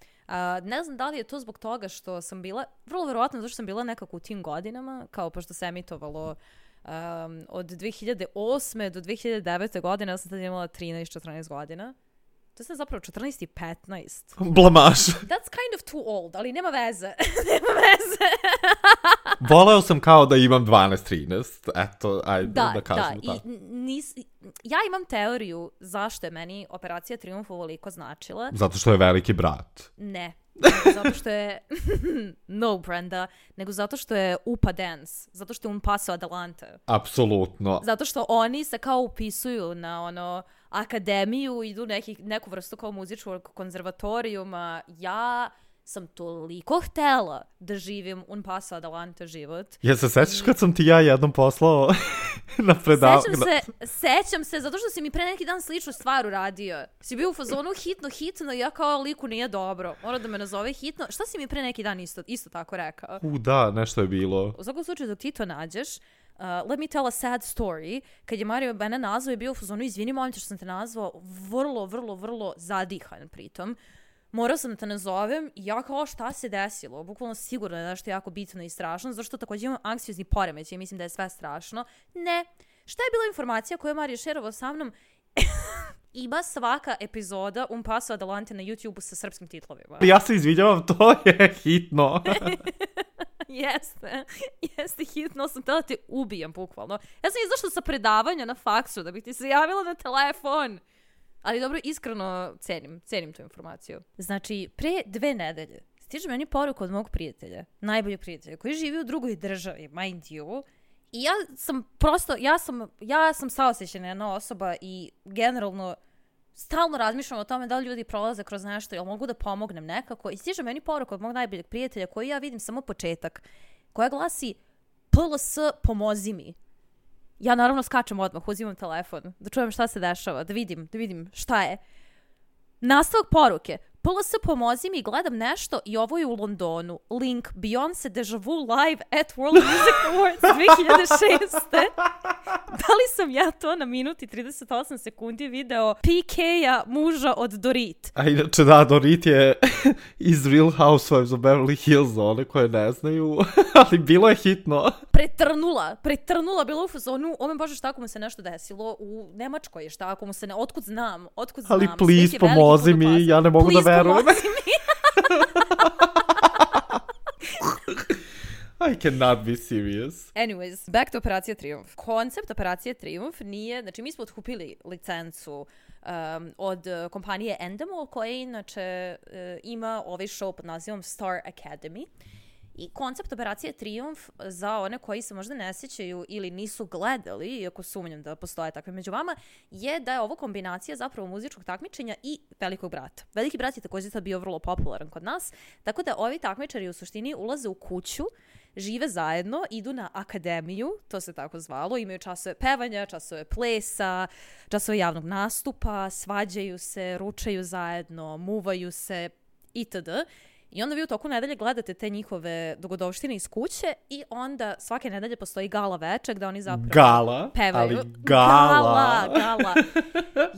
Ne znam da li je to zbog toga što sam bila, vrlo verovatno zato što sam bila nekako u tim godinama, kao pošto se emitovalo od 2008. do 2009. godine, ja sam tada imala 13-14 godina. To je zapravo 14 i 15. Blamaž. That's kind of too old, ali nema veze. Voleo sam kao da imam 12-13, eto, ajde da kažemo tako. Ja imam teoriju zašto je meni Operacija Trijumf ovoliko značila. Zato što je veliki brat. Ne. Zato što je no Brenda, nego zato što je UPA Dance, zato što je Un Paso Adelante. Apsolutno. Zato što oni se kao upisuju na akademiju, idu neku vrstu kao muzičkog konzervatorijuma. Ja sam toliko htela da živim Un Paso Adelante život. Ja se sećaš kad sam ti ja jednom poslao na predavanje? Sećam se, zato što si mi pre neki dan sličnu stvar uradio. Si bio u fazonu hitno i ja kao liku nije dobro. Mora da me nazove hitno. Šta si mi pre neki dan isto tako rekao? Da, nešto je bilo. U svakom slučaju dok ti to nađeš, let me tell a sad story. Kad je Mario mene nazvao i bio u fazonu, izvini momče što sam te nazvao, vrlo zadihan pritom. Morao sam da te nazovem i ja kao šta se desilo? Bukvalno sigurno je nešto jako bitno i strašno, zašto također imam anksiozni poremećaj i mislim da je sve strašno. Ne. Šta je bila informacija koju je Mario šerovao sa mnom? Ima svaka epizoda Un Paso Adelante na YouTube-u sa srpskim titlovima. Ja se izvinjavam, to je hitno. Jeste hitno, sam htjela da te ubijem bukvalno. Ja sam izašla sa predavanja na faksu da bih ti se javila na telefon. Ali dobro, iskreno cenim tu informaciju. Znači, pre 2 nedelje stiže meni poruka od mog prijatelja, najboljeg prijatelja, koji živi u drugoj državi, mind you. I ja sam saosećajna jedna osoba i generalno stalno razmišljam o tome da li ljudi prolaze kroz nešto, jel mogu da pomognem nekako. I stiže meni poruka od mog najboljeg prijatelja, koji ja vidim samo početak, koja glasi PLS pomozi mi. Ja naravno skačem odmah, uzimam telefon, da čujem šta se dešava, da vidim šta je. Nastavak poruke. PLS pomozi mi, gledam nešto i ovo je u Londonu. Link Beyoncé Deja Vu live at World Music Awards 2006. Da li sam ja to na minuti i 38 sekundi video PK-a muža od Dorit? A inače da, Dorit je iz Real Housewives of Beverly Hills, one koje ne znaju, ali bilo je hitno. Pretrnula, bilo u fazonu, ome bože šta ako mu se nešto desilo u Nemačkoj, šta ako mu se otkud znam. Ali please pomozi mi, ja ne mogu da verujem. I cannot be serious. Anyways, back to Operacija Trijumf. Koncept Operacije Trijumf nije, znači mi smo otkupili licencu od kompanije Endemol, koja inače ima ovaj show pod nazivom Star Academy. I koncept Operacije Trijumf, za one koji se možda ne sjećaju ili nisu gledali, iako sumnjam da postoje takve među vama, je da je ovo kombinacija zapravo muzičkog takmičenja i Velikog brata. Veliki brat je također sad bio vrlo popularan kod nas, tako da ovi takmičari u suštini ulaze u kuću, žive zajedno, idu na akademiju, to se tako zvalo, imaju časove pevanja, časove plesa, časove javnog nastupa, svađaju se, ručaju zajedno, muvaju se itd. I onda vi u toku nedelje gledate te njihove dogodovštine iz kuće i onda svake nedelje postoji gala večer gde oni zapravo pevaju. Ali gala.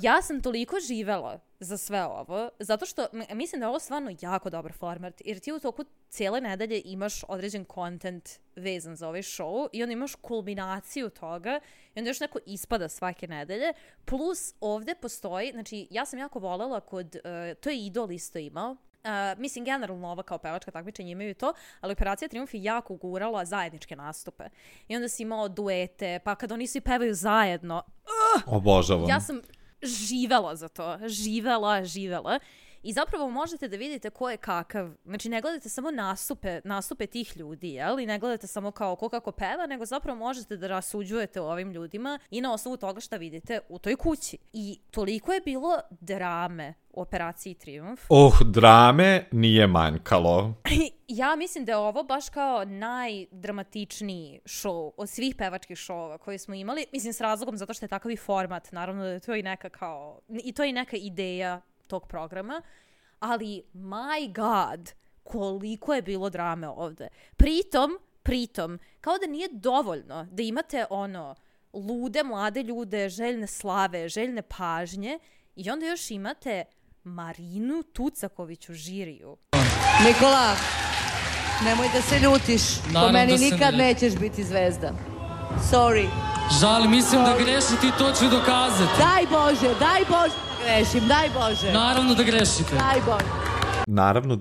Ja sam toliko živela za sve ovo, zato što mislim da je ovo stvarno jako dobar format, jer ti u toku cijele nedelje imaš određen content vezan za ovaj show i onda imaš kulminaciju toga i onda još neko ispada svake nedelje, plus ovde postoji, znači ja sam jako volela to je Idol isto imao, mislim, generalno ova kao pevačka takmičenja imaju to, ali Operacija Trijumf je jako gurala zajedničke nastupe. I onda si imao duete, pa kad oni svi pevaju zajedno, obožavam. Ja sam živela za to. Živela. I zapravo možete da vidite ko je kakav. Znači, ne gledate samo nastupe tih ljudi, jel? I ne gledate samo kao ko kako peva, nego zapravo možete da rasuđujete o ovim ljudima i na osnovu toga šta vidite u toj kući. I toliko je bilo drame u Operaciji Trijumf. Drame nije manjkalo. Ja mislim da je ovo baš kao najdramatičniji show od svih pevačkih šova koje smo imali. Mislim, s razlogom zato što je takav i format. Naravno da je to i neka ideja tog programa, ali my god, koliko je bilo drame ovde. Pritom, kao da nije dovoljno da imate lude mlade ljude, željne slave, željne pažnje i onda još imate Marinu Tucaković u žiriju. Nikola, nemoj da se ljutiš, po meni nikad nećeš biti zvezda. Sorry. Žal, mislim da grešite i to ću dokazati. Daj Bože, grešim, daj Bože. Naravno da grešite. Daj Bože. Naravno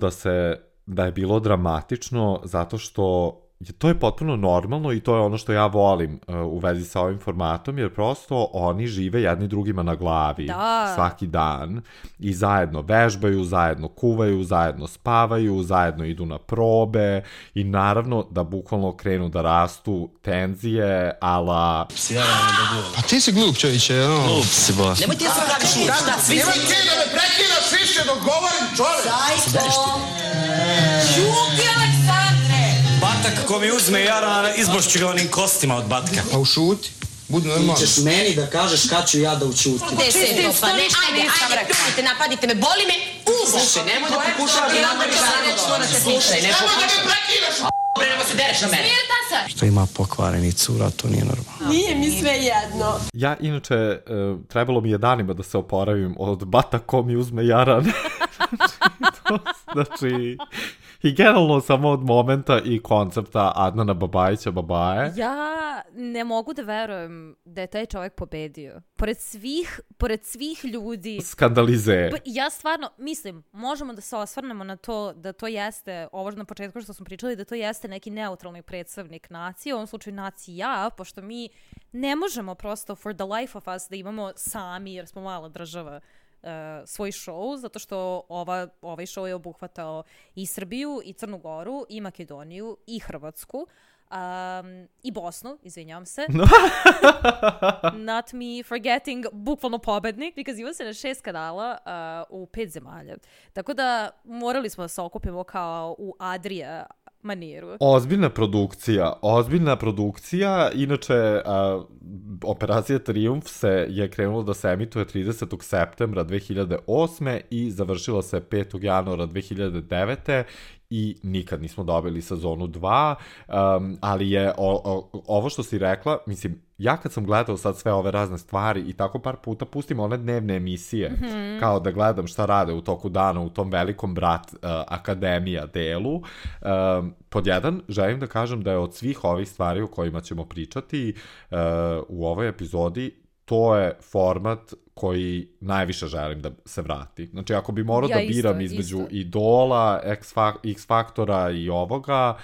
da je bilo dramatično zato što to je potpuno normalno i to je ono što ja volim u vezi sa ovim formatom, jer prosto oni žive jedni drugima na glavi svaki dan i zajedno vežbaju, zajedno kuvaju, zajedno spavaju, zajedno idu na probe i naravno da bukvalno krenu da rastu tenzije, ala... Pa ti si glup, čovječe, Glup si, boss. Nemoj ti da se praviš uranda, Nemoj ti da me prekinaš više dok govorim, čovjek! Zajko! Šuti, Aleksandre! Batak ko mi uzme jarana, izbošću ga onim kostima od batka. Pa ušuti, budi normalno. Ti ćeš meni da kažeš kad ću ja da učutim. Pa ne, ajde, napadite me, boli me uvo! Nemoj da pokušavaš da napadite me, nećemo da te slušaj, ne pokušavaš. Nemoj da me prekinaš, Nemo se dereš na mene. Smirta se! Što ima pokvareni cura, to nije normalno. Nije mi sve jedno. Ja, inače, trebalo mi je danima da se oporavim od bata ko mi uzme jaran. Znači, i generalno samo od momenta i koncepta Adnana Babajića Babaje. Ja ne mogu da verujem da je taj čovjek pobedio. Pored svih ljudi. Skandalize. Ja stvarno, mislim, možemo da se osvrnemo na to da to jeste, ovo na početku što smo pričali, da to jeste neki neutralni predstavnik nacije, u ovom slučaju nacija, pošto mi ne možemo prosto for the life of us da imamo sami, jer smo mala država, svoj show, zato što ovaj show je obuhvatao i Srbiju, i Crnu Goru, i Makedoniju, i Hrvatsku, i Bosnu, izvinjavam se. Not me forgetting, bukvalno pobednik, because imao se na 6 kanala u 5 zemalja. Tako da morali smo da se okupimo kao u Adria maniru. Ozbiljna produkcija. Inače, Operacija Trijumf je krenula da se emituje 30. septembra 2008. i završila se 5. januara 2009. i nikad nismo dobili sezonu 2, ali je ovo što si rekla, mislim, ja kad sam gledao sad sve ove razne stvari i tako par puta pustim one dnevne emisije, kao da gledam šta rade u toku dana u tom velikom brat akademija delu, pod jedan, želim da kažem da je od svih ovih stvari o kojima ćemo pričati u ovoj epizodi, to je format koji najviše želim da se vrati. Znači, ako bi morao da biram između Idola, X Faktora i ovoga,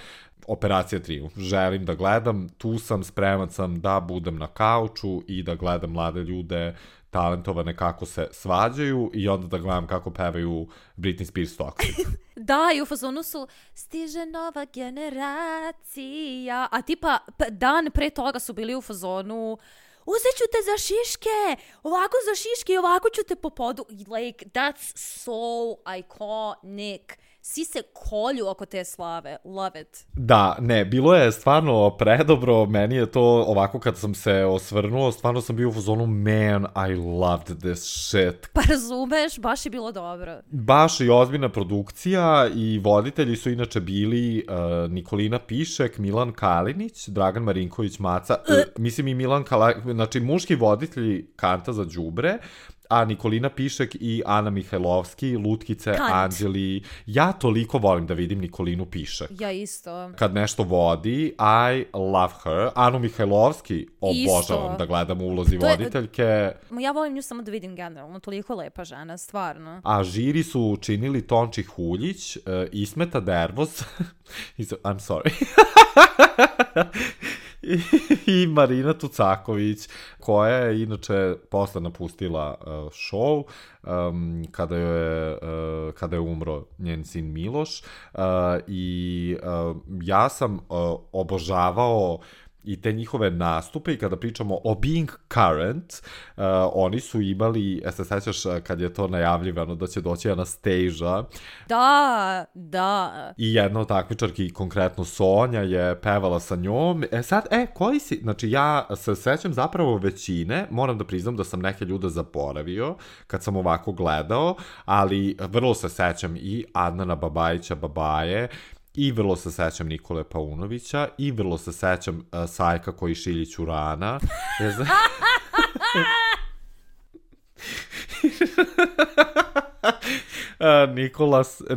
Operacija Trijumf. Želim da gledam, tu sam, spreman sam da budem na kauču i da gledam mlade ljude talentovane kako se svađaju i onda da gledam kako pevaju Britney Spears Toxic. Da, i u fazonu su stiže nova generacija, a tipa dan pre toga su bili u fazonu uzet ću te za šiške, ovako za šiške i ovako ću te po podu. Like, that's so iconic. Svi se kolju oko te slave. Love it. Da, ne, bilo je stvarno predobro. Meni je to ovako kad sam se osvrnuo, stvarno sam bio u zonu, man, I loved this shit. Pa razumeš, baš je bilo dobro. Baš i ozbiljna produkcija i voditelji su inače bili Nikolina Pišek, Milan Kalinić, Dragan Marinković Maca, mislim i Milan Kalinić, znači muški voditelji Kanta za đubre, a Nikolina Pišek i Ana Mihajlovski, Lutkice, Anđeli. Ja toliko volim da vidim Nikolinu Pišek. Ja isto. Kad nešto vodi, I love her. Anu Mihajlovski obožavam da gledam u ulozi voditeljke. Ja volim nju samo da vidim generalno, toliko lepa žena, stvarno. A žiri su učinili Tonči Huljić, Ismeta Dervoz, I'm sorry, i Marina Tucaković, koja je inače posle napustila show kada je umro njen sin Miloš, i ja sam obožavao i te njihove nastupe i kada pričamo o Being Current, oni su imali, se sećaš kad je to najavljivano da će doći Anastasia? Da. I jedna od takmičarki, konkretno Sonja, je pevala sa njom. Koji si? Znači, ja se sećam zapravo većine, moram da priznam da sam neke ljude zaboravio kad sam ovako gledao, ali vrlo se sećam i Adnana Babajića Babaje, i vrlo se sećam Nikole Paunovića, i vrlo se sećam Sajka koji šilji Ćurana.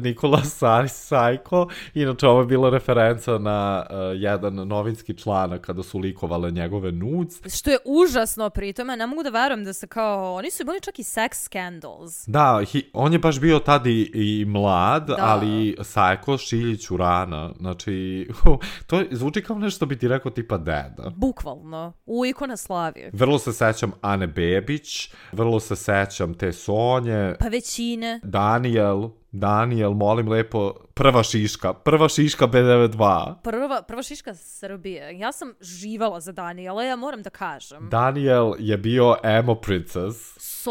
Nikola Sajko. Inače, ovo je bila referenca na jedan novinski članak kada su likovale njegove nudes. Što je užasno pri tome, ne mogu da verujem da se kao, oni su imali čak i sex scandals. Da, on je baš bio tad i mlad, ali Sajko Šiljić Urana, znači, to zvuči kao nešto bi ti rekao tipa deda. Bukvalno, u ikona Slavije. Vrlo se sećam Ane Bebić, vrlo se sećam te Sonje. Pa većine. Daniel, molim lepo, prva šiška B92. Prva šiška Srbije. Ja sam živala za Daniela, ja moram da kažem. Daniel je bio emo princess. So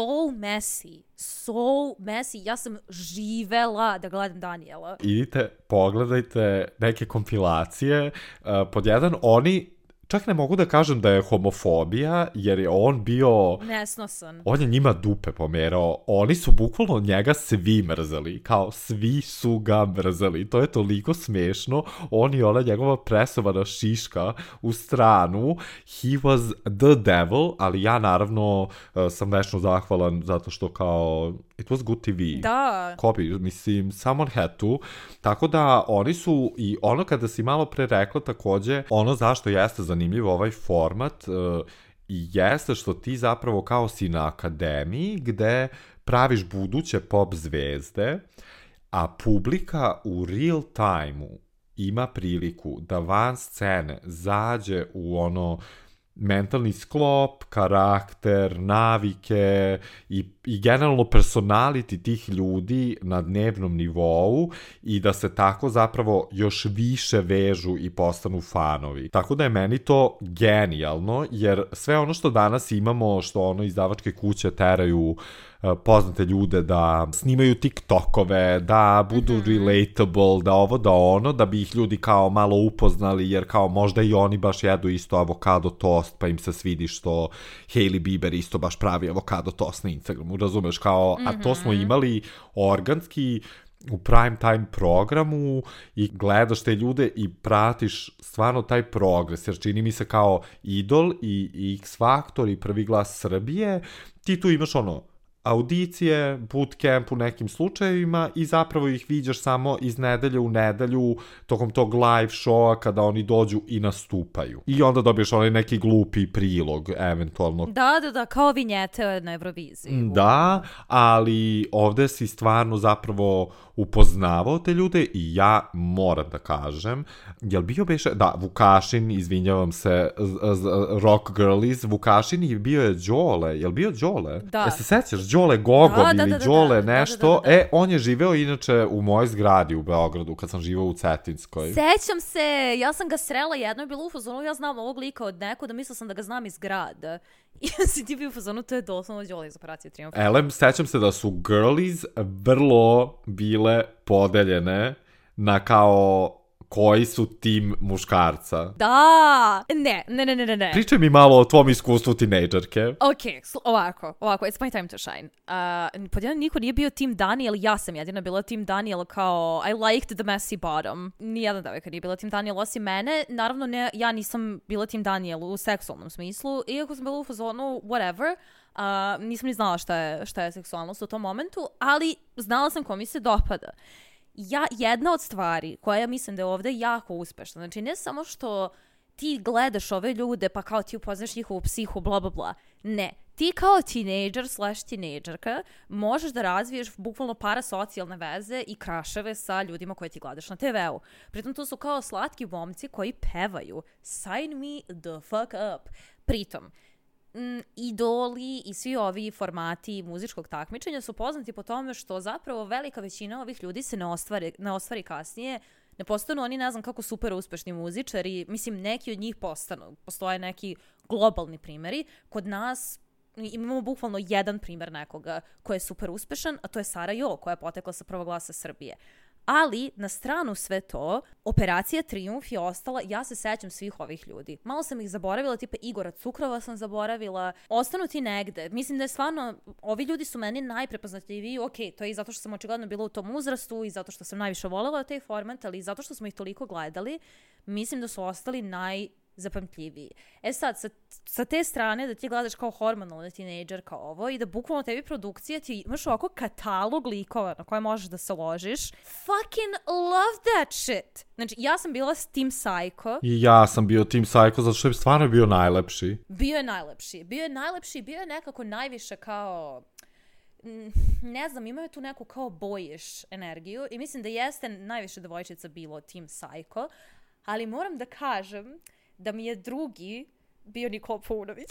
messy. Ja sam živela da gledam Daniela. Idite, pogledajte neke kompilacije. Pod jedan, oni čak ne mogu da kažem da je homofobija, jer je on bio... nesnosan. On je njima dupe pomerao. Oni su bukvalno njega svi mrzeli. Kao, svi su ga mrzeli. To je toliko smešno. On i ona njegova presovana šiška u stranu. He was the devil, ali ja naravno sam večno zahvalan zato što kao... It was good TV. Da. Copy, mislim, someone had to. Tako da oni su, i ono kada si malo pre rekla takođe, ono zašto jeste zanimljiv ovaj format, jeste što ti zapravo kao si na akademiji gde praviš buduće pop zvezde, a publika u real time-u ima priliku da van scene zađe u ono mentalni sklop, karakter, navike i generalno personality tih ljudi na dnevnom nivou i da se tako zapravo još više vežu i postanu fanovi. Tako da je meni to genijalno, jer sve ono što danas imamo, što ono izdavačke kuće teraju poznate ljude da snimaju TikTokove, da budu relatable, da ovo, da ono, da bi ih ljudi kao malo upoznali, jer kao možda i oni baš jedu isto avokado tost, pa im se svidi što Hailey Bieber isto baš pravi avokado tost na Instagramu, razumeš, kao, a to smo imali organski u prime time programu i gledaš te ljude i pratiš stvarno taj progres, jer čini mi se kao Idol i X Factor i Prvi glas Srbije, ti tu imaš ono audicije, bootcamp u nekim slučajevima i zapravo ih viđaš samo iz nedelje u nedelju tokom tog live showa kada oni dođu i nastupaju. I onda dobiješ onaj neki glupi prilog, eventualno. Da, kao vinjete na Euroviziji. Da, ali ovde si stvarno zapravo upoznavao te ljude i ja moram da kažem, jel bio beše, da, Vukašin, izvinjavam se, Rock Girlies, Vukašin i bio je Đole, jel bio Đole? Da. Ja se sećaš, Đole Gogol ili Đole nešto, on je živeo inače u mojoj zgradi u Beogradu, kad sam živao u Cetinskoj. Sećam se, ja sam ga srela jedno je bilo u fazonu, ja znam ovog lika od da mislila sam da ga znam iz grada. I si ti bio u fazonu, to je doslovno Đole iz Operacije Trijumf. Sećam se da su girlies vrlo bile podeljene na kao koji su tim muškarca. Da! Ne. Pričaj mi malo o tvom iskustvu tinejdžerke. Ok, ovako, it's my time to shine. Pod jedan niko nije bio tim Daniel, ja sam jedina bila tim Daniel kao I liked the messy bottom. Nijedna devojka nije bila tim Daniel osim mene. Naravno, ja nisam bila tim Daniel u seksualnom smislu, iako sam bila u fazonu whatever. Nisam ni znala šta je seksualnost u tom momentu, ali znala sam ko mi se dopada. Jedna od stvari koja ja mislim da je ovde jako uspešna, znači ne samo što ti gledaš ove ljude pa kao ti upoznaš njihovu psihu, bla bla bla, ne, ti kao tinejdžer/tinejdžerka možeš da razviješ bukvalno parasocijalne veze i kraševe sa ljudima koje ti gledaš na TV-u. Pritom to su kao slatki momci koji pevaju Sign me the fuck up. Pritom, idoli i svi ovi formati muzičkog takmičenja su poznati po tome što zapravo velika većina ovih ljudi se ne ostvari kasnije, ne postanu oni ne znam kako super uspešni muzičari, mislim neki od njih postanu, postoje neki globalni primjeri, kod nas imamo bukvalno jedan primjer nekoga koji je super uspešan, a to je Sara Jo koja je potekla sa Prvog glasa Srbije. Ali, na stranu sve to, Operacija Trijumf je ostala, ja se sećam svih ovih ljudi. Malo sam ih zaboravila, tipa Igora Cukrova sam zaboravila. Ostanu ti negde. Mislim da je stvarno, ovi ljudi su meni najprepoznatljiviji, ok, to je i zato što sam očigledno bila u tom uzrastu i zato što sam najviše voljela taj format, ali i zato što smo ih toliko gledali, mislim da su ostali zapamtljiviji. Sad, sa te strane da ti gledaš kao hormonalni tinejdžer kao ovo i da bukvalno tebi produkcija ti imaš ovako katalog likova na koje možeš da se ložiš. Fucking love that shit! Znači, ja sam bila s Team Psycho. I ja sam bio Team Psycho zato što je stvarno bio najlepši. Bio je najlepši, bio je nekako najviše kao... Ne znam, imao je tu neku kao boyish energiju i mislim da jeste najviše devojčica bilo Team Psycho, ali moram da kažem da mi je drugi bio Nikola Paunović.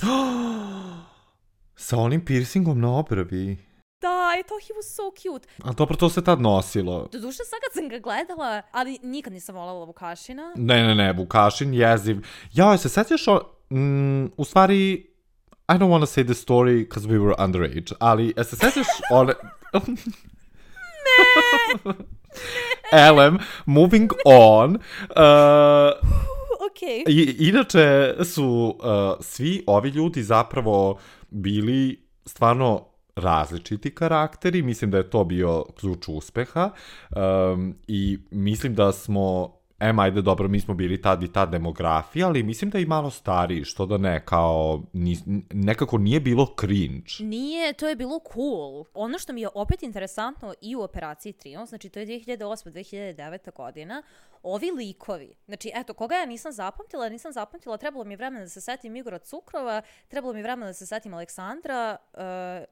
Sa onim piercingom na obrvi. Da, i to he was so cute. A dobro, to se tad nosilo. Doduše, sad kad sam ga gledala, ali nikad nisam voljela Vukašina. Ne, Vukašin jeziv. Jao, se sećaš u stvari, I don't want to say the story because we were underage, ali se sećaš one... Ne! Elem, moving on. Okay. Inače su svi ovi ljudi zapravo bili stvarno različiti karakteri, mislim da je to bio ključ uspeha i mislim da smo, ajde dobro, mi smo bili tad i ta demografija, ali mislim da i malo stariji, što da ne, kao nekako nije bilo cringe. Nije, to je bilo cool. Ono što mi je opet interesantno i u Operaciji Triumf, znači to je 2008-2009 godina, ovi likovi, znači eto, koga ja nisam zapamtila, trebalo mi je vremena da se setim Igora Cukrova, trebalo mi je vremena da se setim Aleksandra,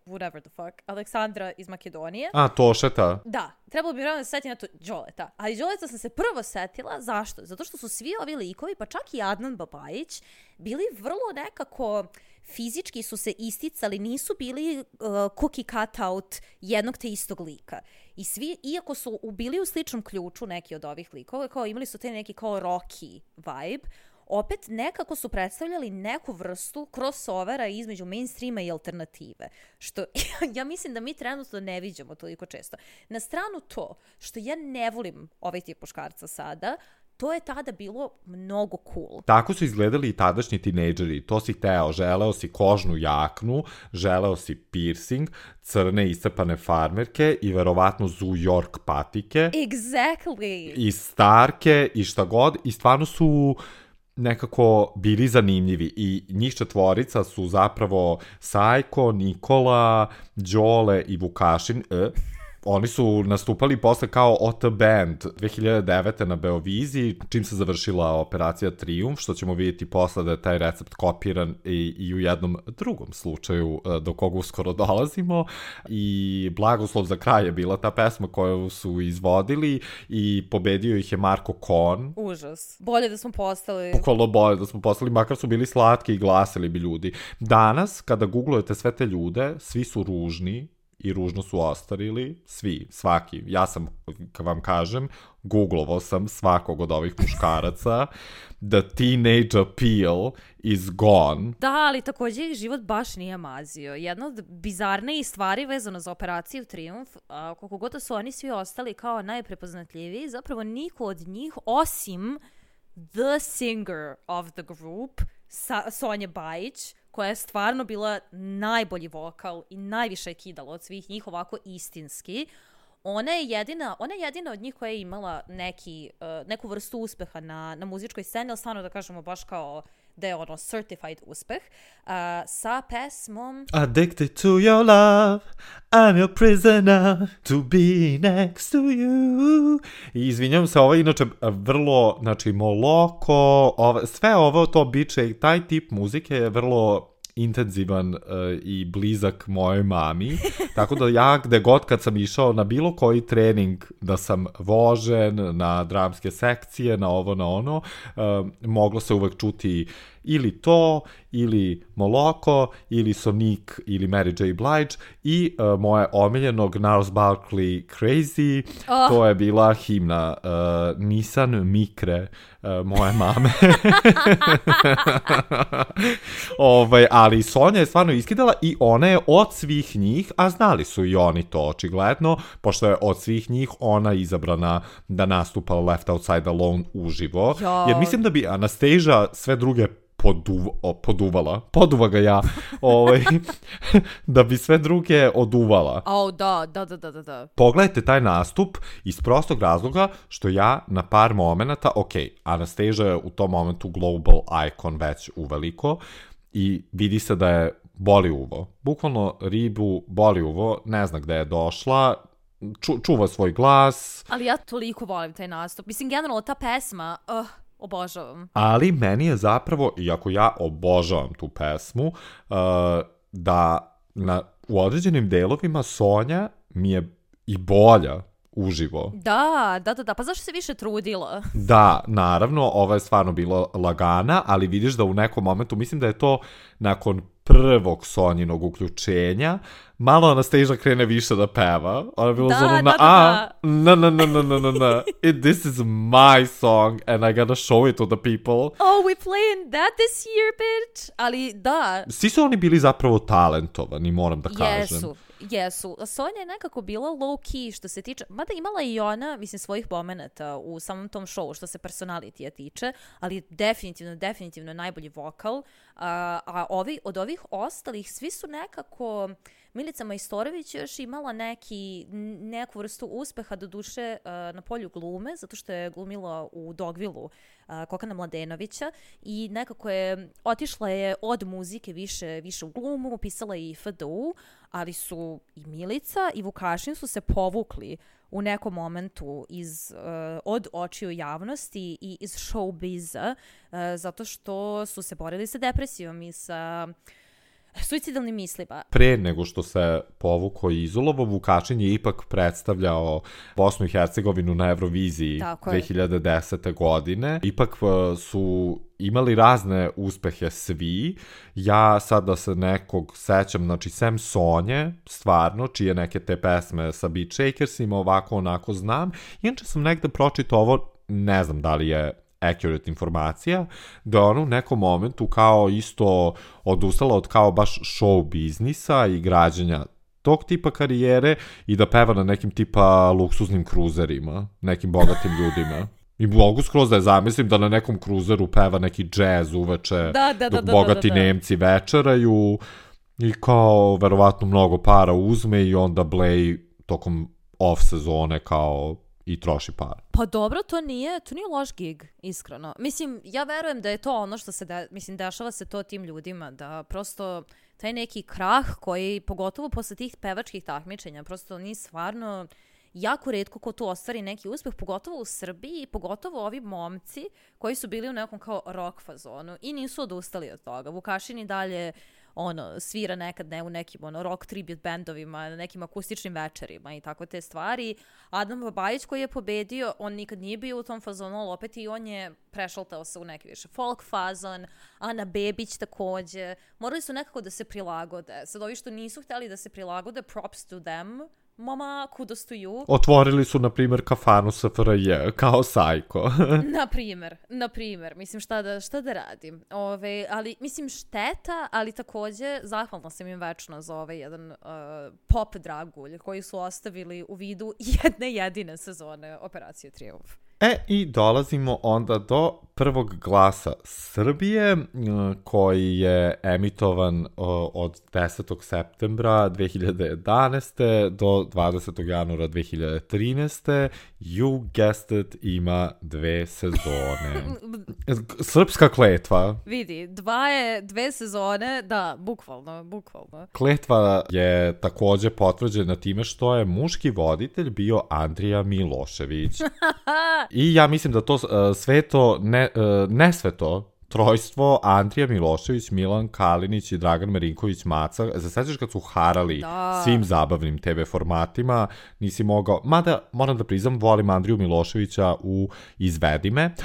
whatever the fuck, Aleksandra iz Makedonije. Tošeta. Da, trebalo mi je vremena da se setim na to Đoleta, ali Đoleta sam se prvo setila, zašto? Zato što su svi ovi likovi, pa čak i Adnan Babajić, bili vrlo nekako... Fizički su se isticali, nisu bili cookie cutout jednog te istog lika. I svi, iako su bili u sličnom ključu neki od ovih likova, kao imali su te neki kao Rocky vibe, opet nekako su predstavljali neku vrstu crossovera između mainstreama i alternative. Što ja mislim da mi trenutno ne viđamo toliko često. Na stranu to što ja ne volim ovaj tip muškarca sada, to je tada bilo mnogo cool. Tako su izgledali i tadašnji tinejdžeri. To si hteo, želeo si kožnu jaknu, želeo si piercing, crne iscepane farmerke i verovatno Zoo York patike. Exactly. I starke i šta god. I stvarno su nekako bili zanimljivi. I njih četvorica su zapravo Sajko, Nikola, Đole i Vukašin. Oni su nastupali posle kao OT Band 2009. na Beoviziji, čim se završila Operacija Triumf, što ćemo vidjeti posle da je taj recept kopiran i u jednom drugom slučaju do koga uskoro dolazimo. I Blagoslov za kraj je bila ta pesma koju su izvodili i pobedio ih je Marko Kon. Užas. Bolje da smo postali. Bukvalno bolje da smo postali, makar su bili slatki i glasili bi ljudi. Danas, kada googlujete sve te ljude, svi su ružni, i ružno su ostarili, svi, svaki. Ja sam, kad vam kažem, googlovao sam svakog od ovih muškaraca. The teenage appeal is gone. Da, ali također ih život baš nije mazio. Jedna od bizarnijih stvari vezano za Operaciju Triumf, koliko god su oni svi ostali kao najprepoznatljiviji, zapravo niko od njih, osim the singer of the group, Sonja Bajić, koja je stvarno bila najbolji vokal i najviše je kidala od svih njih ovako istinski. Ona je jedina od njih koja je imala neku vrstu uspeha na muzičkoj sceni, ali stvarno da kažemo baš kao da je ono certified uspeh, sa pesmom Addicted to your love, I'm your prisoner, to be next to you. I izvinjam se, ovo je inače vrlo, znači moloko, sve ovo to biće, taj tip muzike je vrlo intenzivan i blizak mojoj mami, tako da ja gde god kad sam išao na bilo koji trening da sam vožen, na dramske sekcije, na ovo, na ono, moglo se uvek čuti ili to, ili Moloko, ili Sonic, ili Mary J. Blige i moje omiljenog Gnarls Barkley Crazy, to je bila himna Nissan Mikre moje mame. Ali Sonja je stvarno iskidala i ona je od svih njih, a znali su i oni to očigledno, pošto je od svih njih ona izabrana da nastupa Left Outside Alone uživo. Jer mislim da bi Anastasia sve druge poduva ga ja, da bi sve druge oduvala. Da. Pogledajte taj nastup iz prostog razloga što ja na par momenata, Anastasia je u tom momentu global icon već uveliko i vidi se da je boli uvo. Bukvalno ribu boli uvo, ne zna gde je došla, čuva svoj glas. Ali ja toliko volim taj nastup. Mislim, generalno ta pesma, obožavam. Ali meni je zapravo, iako ja obožavam tu pesmu, da u određenim delovima Sonja mi je i bolja uživo. Da, pa zašto se više trudila? Da, naravno, ova je stvarno bila lagana, ali vidiš da u nekom momentu, mislim da je to nakon prvog Sonjinog uključenja, malo Anastasia krene više da peva. Ona je bilo no. This is my song and I gotta show it to the people. Oh, we playing that this year, bitch? Ali da. Svi su oni bili zapravo talentovani, moram da kažem. Jesu. Sonja je nekako bila low-key što se tiče, mada imala i ona, mislim, svojih momenata u samom tom showu što se personalitija tiče, ali definitivno najbolji vokal. A od ovih ostalih, svi su nekako... Milica Majstorović još imala neku vrstu uspeha, doduše na polju glume, zato što je glumila u Dogvillu Kokana Mladenovića i nekako je otišla od muzike više u glumu, pisala i FDU, ali su i Milica i Vukašin su se povukli u nekom momentu od očiju javnosti i iz showbiza, zato što su se borili sa depresijom i sa suicidalnim mislima. Pre nego što se povukao i izolovo, Vukašin je ipak predstavljao Bosnu i Hercegovinu na Euroviziji 2010. godine. Ipak su imali razne uspehe svi. Ja sada se nekog sećam, znači sem Sonje, stvarno, čije neke te pesme sa Beat Shakersima, ovako onako znam. Inače sam negde pročitao ovo, ne znam da li je accurate informacija, da ona u nekom momentu kao isto odustala od kao baš show biznisa i građenja tog tipa karijere i da peva na nekim tipa luksuznim kruzerima, nekim bogatim ljudima. I mogu skroz da je zamislim da na nekom kruzeru peva neki džez uveče dok bogati Nemci večeraju i kao verovatno mnogo para uzme i onda Blej tokom off sezone kao i troši par. Pa dobro, to nije loš gig, iskreno. Mislim, ja verujem da je to ono što se, dešava se to tim ljudima, da prosto taj neki krah koji, pogotovo posle tih pevačkih takmičenja, prosto nije stvarno jako retko ko tu ostvari neki uspeh, pogotovo u Srbiji, pogotovo ovi momci koji su bili u nekom kao rock fazonu i nisu odustali od toga. Vukašin i dalje svira nekad u nekim rock tribute bandovima, na nekim akustičnim večerima i tako te stvari. Adam Babajić koji je pobedio, on nikad nije bio u tom fazonu, ali opet i on je prešaltao se u neki više folk fazon. Ana Bebić takođe. Morali su nekako da se prilagode. Sad ovi što nisu hteli da se prilagode, props to them. Mama, kudos to you. Otvorili su, na primjer, kafanu SFRJ, kao Sajko. Na primjer. Mislim, šta da radim. Ali, mislim, šteta, ali takođe zahvalna sam im večno za ovaj jedan pop dragulj koji su ostavili u vidu jedne jedine sezone Operacije Trijumf. I dolazimo onda do prvog glasa Srbije, koji je emitovan od 10. septembra 2011. do 20. januara 2013. You guessed it, ima 2 sezone. Srpska kletva. Vidi, 2 sezone, da, bukvalno. Kletva je takođe potvrđena time što je muški voditelj bio Andrija Milošević. I ja mislim da to nesveto trojstvo Andrija Milošević, Milan Kalinić i Dragan Marinković Maca, se sećaš kad su harali svim zabavnim TV formatima, nisi mogao, mada moram da priznam, volim Andriju Miloševića u Izvedi me.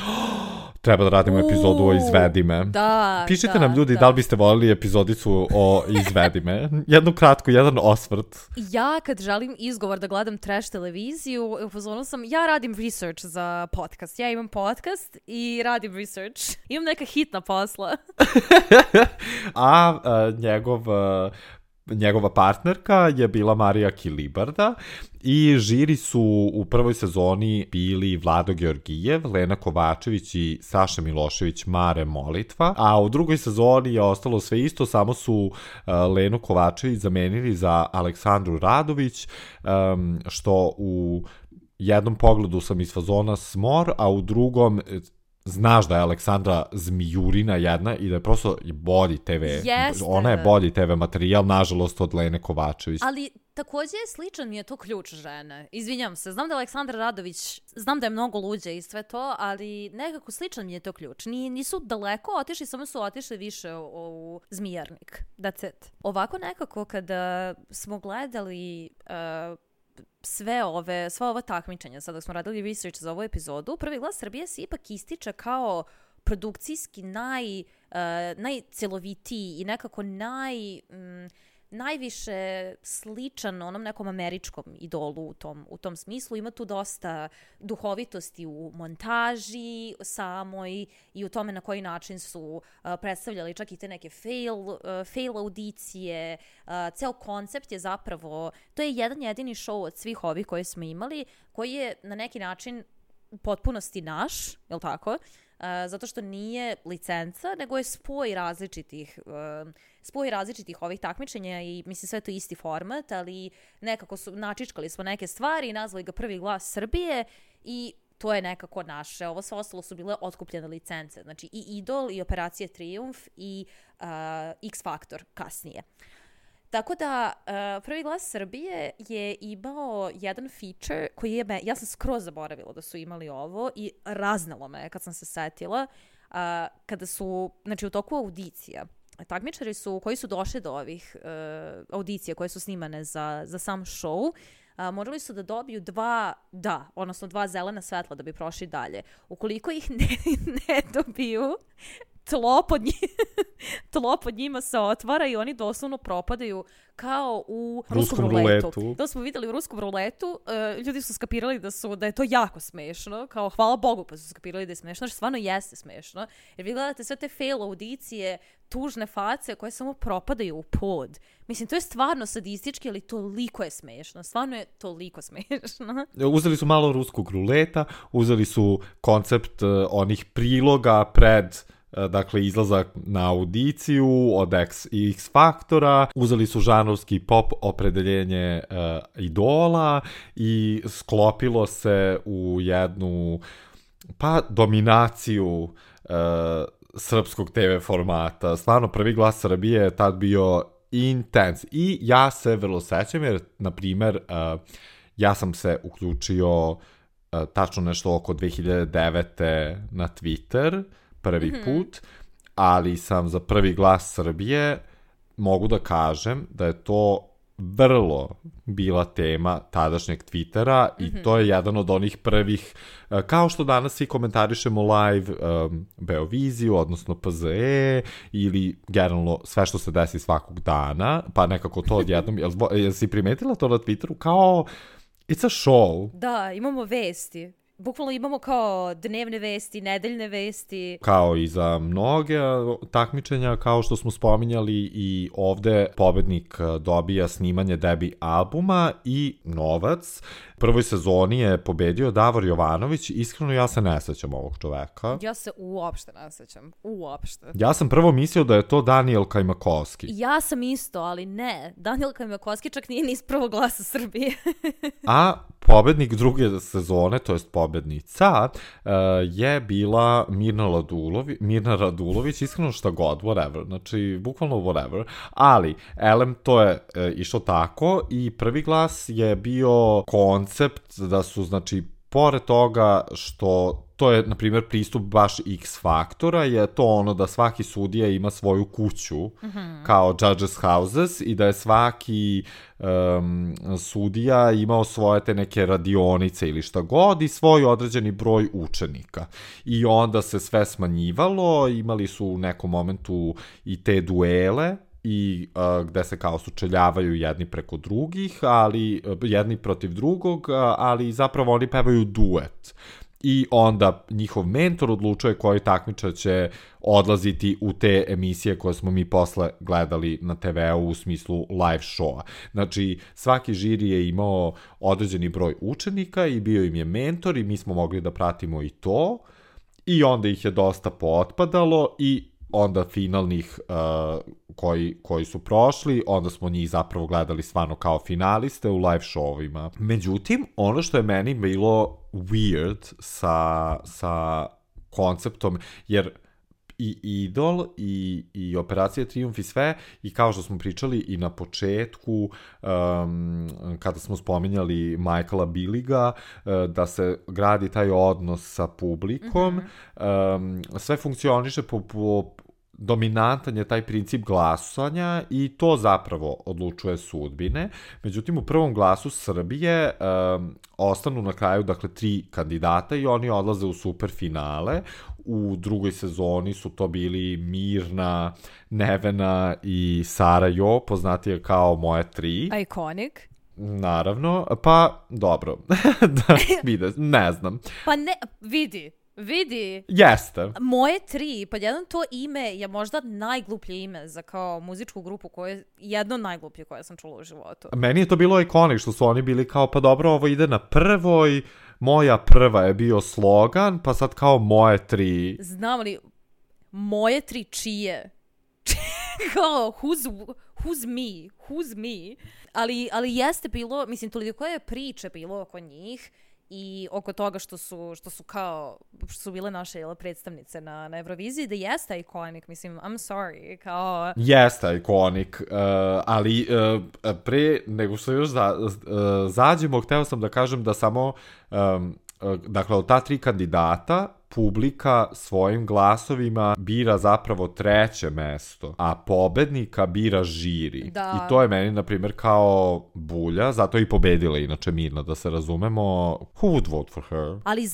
Treba da radimo epizodu o Izvedi me. Pišite nam ljudi da li biste voljeli epizodicu o Izvedi me. Jednu kratku, jedan osvrt. Ja kad želim izgovor da gledam trash televiziju, upozorila sam, ja radim research za podcast. Ja imam podcast i radim research. Imam neka hitna posla. A njegov njegova partnerka je bila Marija Kilibarda i žiri su u prvoj sezoni bili Vlado Georgijev, Lena Kovačević i Saša Milošević Mare Molitva, a u drugoj sezoni je ostalo sve isto, samo su Lenu Kovačević zamenili za Aleksandru Radović, što u jednom pogledu sam iz fazona smor, a u drugom znaš da je Aleksandra zmijurina jedna i da je prosto bolji TV. Jeste. Ona je bolji TV materijal, nažalost, od Lene Kovačević. Ali takođe sličan mi je to ključ žene. Izvinjam se, znam da je Aleksandra Radović, znam da je mnogo luđe i sve to, ali nekako sličan mi je to ključ. Nisu daleko otišli, samo su otišli više u Zmijarnik. That's it. Ovako nekako kada smo gledali sva ova takmičenja, sada smo radili research za ovu epizodu, Prvi glas Srbije se ipak ističe kao produkcijski najcelovitiji i nekako najviše sličan onom nekom američkom idolu u tom smislu. Ima tu dosta duhovitosti u montaži samoj i u tome na koji način su predstavljali čak i te neke fail audicije. Ceo koncept je zapravo, to je jedan jedini show od svih ovih koje smo imali, koji je na neki način u potpunosti naš, je li tako? Zato što nije licenca, nego je spoj različitih ovih takmičenja i mislim sve to isti format, ali nekako načičkali smo neke stvari i nazvali ga Prvi glas Srbije i to je nekako naše. Ovo sve ostalo su bile otkupljene licence. Znači i Idol, i Operacija Trijumf, i X Faktor kasnije. Tako da, Prvi glas Srbije je imao jedan feature koji je, ja sam skroz zaboravila da su imali ovo i raznalo me kad sam se setila, kada su, znači u toku audicija, takmičari koji su došli do ovih audicija koje su snimane za sam show, morali su da dobiju dva zelena svetla da bi prošli dalje. Ukoliko ih ne dobiju, tlo pod njima se otvara i oni doslovno propadaju kao u ruskom ruletu. To smo videli u ruskom ruletu, ljudi su skapirali da je to jako smešno, kao hvala Bogu pa su skapirali da je smešno, što stvarno jeste smešno, jer vi gledate sve te fail audicije, tužne face koje samo propadaju u pod. Mislim, to je stvarno sadistički, ali toliko je smešno. Stvarno je toliko smešno. Uzeli su malo ruskog ruleta, uzeli su koncept onih priloga pred izlazak na audiciju od X Faktora, uzeli su žanrovski pop opredeljenje idola i sklopilo se u jednu dominaciju srpskog TV formata. Stvarno, Prvi glas Srbije je tad bio intens i ja se vrlo sećam jer, na primer, ja sam se uključio tačno nešto oko 2009. na Twitter prvi put, ali sam za Prvi glas Srbije mogu da kažem da je to vrlo bila tema tadašnjeg Twittera i to je jedan od onih prvih, kao što danas svi komentarišemo live Beoviziju, odnosno PZE ili generalno sve što se desi svakog dana, pa nekako to odjednom, jel si primetila to na Twitteru kao it's a show? Da, imamo vesti. Bukvalno imamo kao dnevne vesti, nedeljne vesti. Kao i za mnoge takmičenja, kao što smo spominjali i ovde pobednik dobija snimanje debi albuma i novac. Prvoj sezoni je pobedio Davor Jovanović, iskreno ja se ne sećam ovog čoveka. Ja se uopšte ne sećam, uopšte. Ja sam prvo mislio da je to Daniel Kajmakovski. Ja sam isto, ali ne, Daniel Kajmakovski čak nije ni iz Prvog glasa Srbije. A pobednik druge sezone, to jest pobednica, je bila Mirna Radulović, iskreno šta god, whatever, znači bukvalno whatever, ali elem to je išlo tako i Prvi glas je bio koncept da su, znači, pored toga što to je, na primjer, pristup baš X Faktora, je to ono da svaki sudija ima svoju kuću kao judges houses i da je svaki sudija imao svoje te neke radionice ili šta god i svoj određeni broj učenika. I onda se sve smanjivalo, imali su u nekom momentu i te duele i gde se kao sučeljavaju jedni preko drugih, ali jedni protiv drugog, ali zapravo oni pevaju duet. i onda njihov mentor odlučuje koji takmičar će odlaziti u te emisije koje smo mi posle gledali na TV-u u smislu live showa. Znači, svaki žiri je imao određeni broj učenika i bio im je mentor i mi smo mogli da pratimo i to i onda ih je dosta pootpadalo i onda finalnih koji su prošli, onda smo njih zapravo gledali stvarno kao finaliste u live showima. Međutim, ono što je meni bilo weird sa konceptom, jer i Idol i Operacija Trijumf i sve, i kao što smo pričali i na početku, kada smo spominjali Michaela Billiga, da se gradi taj odnos sa publikom, sve funkcioniše po dominantan je taj princip glasanja i to zapravo odlučuje sudbine. Međutim, u prvom glasu Srbije ostanu na kraju, dakle, 3 kandidata i oni odlaze u superfinale. U drugoj sezoni su to bili Mirna, Nevena i Sara Jo, poznatije kao moje 3. Iconic. Naravno, pa dobro, da vide, ne znam. Pa ne, vidi. Jeste. Moje 3, pa jedan to ime je možda najgluplje ime za kao muzičku grupu, koje jedno najgluplje koje sam čula u životu. Meni je to bilo ikonik što su oni bili kao, pa dobro, ovo ide na prvoj, moja prva je bio slogan, pa sad kao moje 3. Znam li, moje 3 čije? Kao, who's me? Ali jeste bilo, mislim, toliko je priče bilo oko njih i oko toga što su bile naše predstavnice na Euroviziji, da jeste ikonik, mislim, I'm sorry, kao... Jeste ikonik, ali pre nego što još zađemo, hteo sam da kažem da samo, dakle, od ta 3 kandidata, publika svojim glasovima bira zapravo 3. mesto, a pobednika bira žiri. Da. I to je meni, na primjer, kao bulja, zato je i pobedila inače Mirna, da se razumemo. Who would vote for her? Ali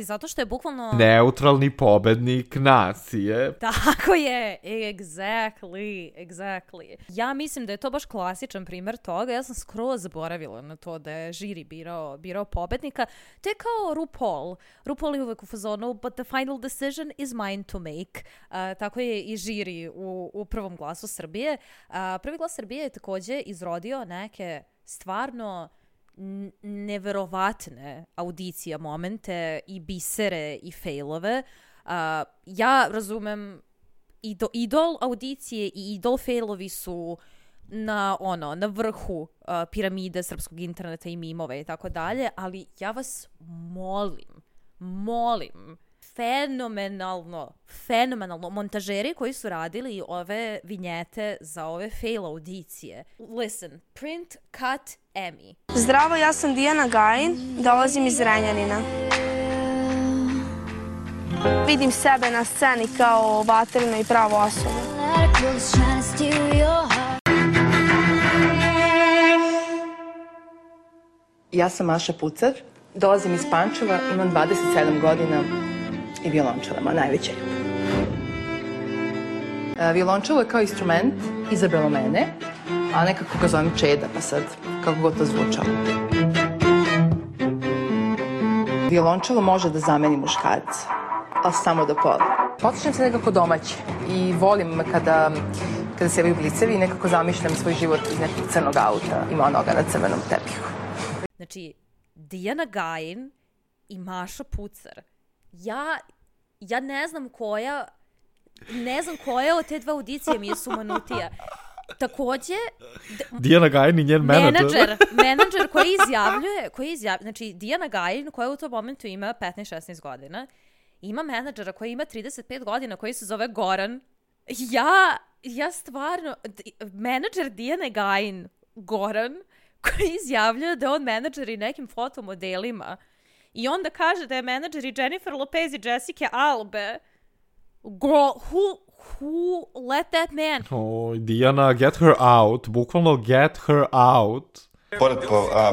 zato što je bukvalno... Neutralni pobednik nacije. Tako je, exactly. Ja mislim da je to baš klasičan primjer toga, ja sam skroz zaboravila na to da je žiri birao pobednika. To je kao RuPaul. RuPaul je uvek u fazonu, but the final decision is mine to make. Tako je i žiri u prvom glasu Srbije. Prvi glas Srbije je također izrodio neke stvarno neverovatne audicije, momente i bisere i failove. Ja razumem idol audicije i idol failovi su na vrhu piramide srpskog interneta i mimova i tako dalje, ali ja vas molim, fenomenalno, montažeri koji su radili ove vinjete za ove fail audicije. Listen, print, cut, Emmy. Zdravo, ja sam Dijana Gajin, dolazim iz Renjanina. Vidim sebe na sceni kao vatrenu i pravu osobu. Ja sam Maša Pucar, dolazim iz Pančeva, imam 27 godina i violončela, najveća ljubav. Violončelo je kao instrument izabralo mene, a nekako ga zovem Čeda, pa sad kako god to zvučalo. Violončelo može da zameni muškarca, ali samo do pola. Osjećam se nekako domaće i volim kada se javaju blicevi i nekako zamišljam svoj život iz nekog crnog auta i monoga na crvenom tepihu. Znači, Dijana Gajin i Maša Pucar. Ja ne znam koja od te 2 audicije mi je sumanutija. Također... Dijana Gajin i njen menadžer. Menadžer koji izjavljuje, znači Dijana Gajin koja u tom momentu ima 15-16 godina, ima menadžera koji ima 35 godina koji se zove Goran. Ja stvarno... Menadžer Dijane Gajin, Goran, koji izjavljuje da je on menadžer i nekim fotomodelima. I onda kaže da je menadžer i Jennifer Lopez i Jessica Alba. Girl, who let that man? Dijana, get her out. Bukvalno get her out. Pored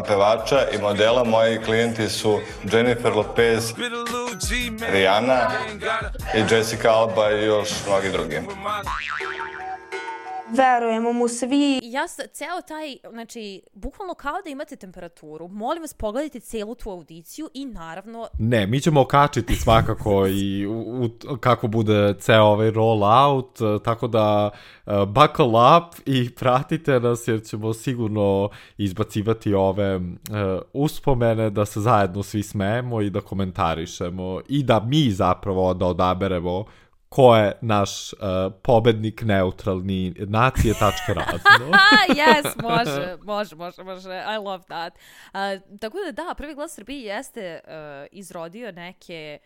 pevača i modela, moji klijenti su Jennifer Lopez, Rihanna i Jessica Alba i još mnogi drugi. Verujemo mu svi. Ceo taj, znači, bukvalno kao da imate temperaturu. Molim vas, pogledajte celu tu audiciju i naravno... Ne, mi ćemo okačiti svakako i kako bude ceo ovaj roll out, tako da buckle up i pratite nas jer ćemo sigurno izbacivati ove uspomene da se zajedno svi smejemo i da komentarišemo i da mi zapravo da odaberemo ko je naš pobednik neutralni nacije.razno. Yes, može. I love that. Tako da, Prvi glas Srbije jeste izrodio neke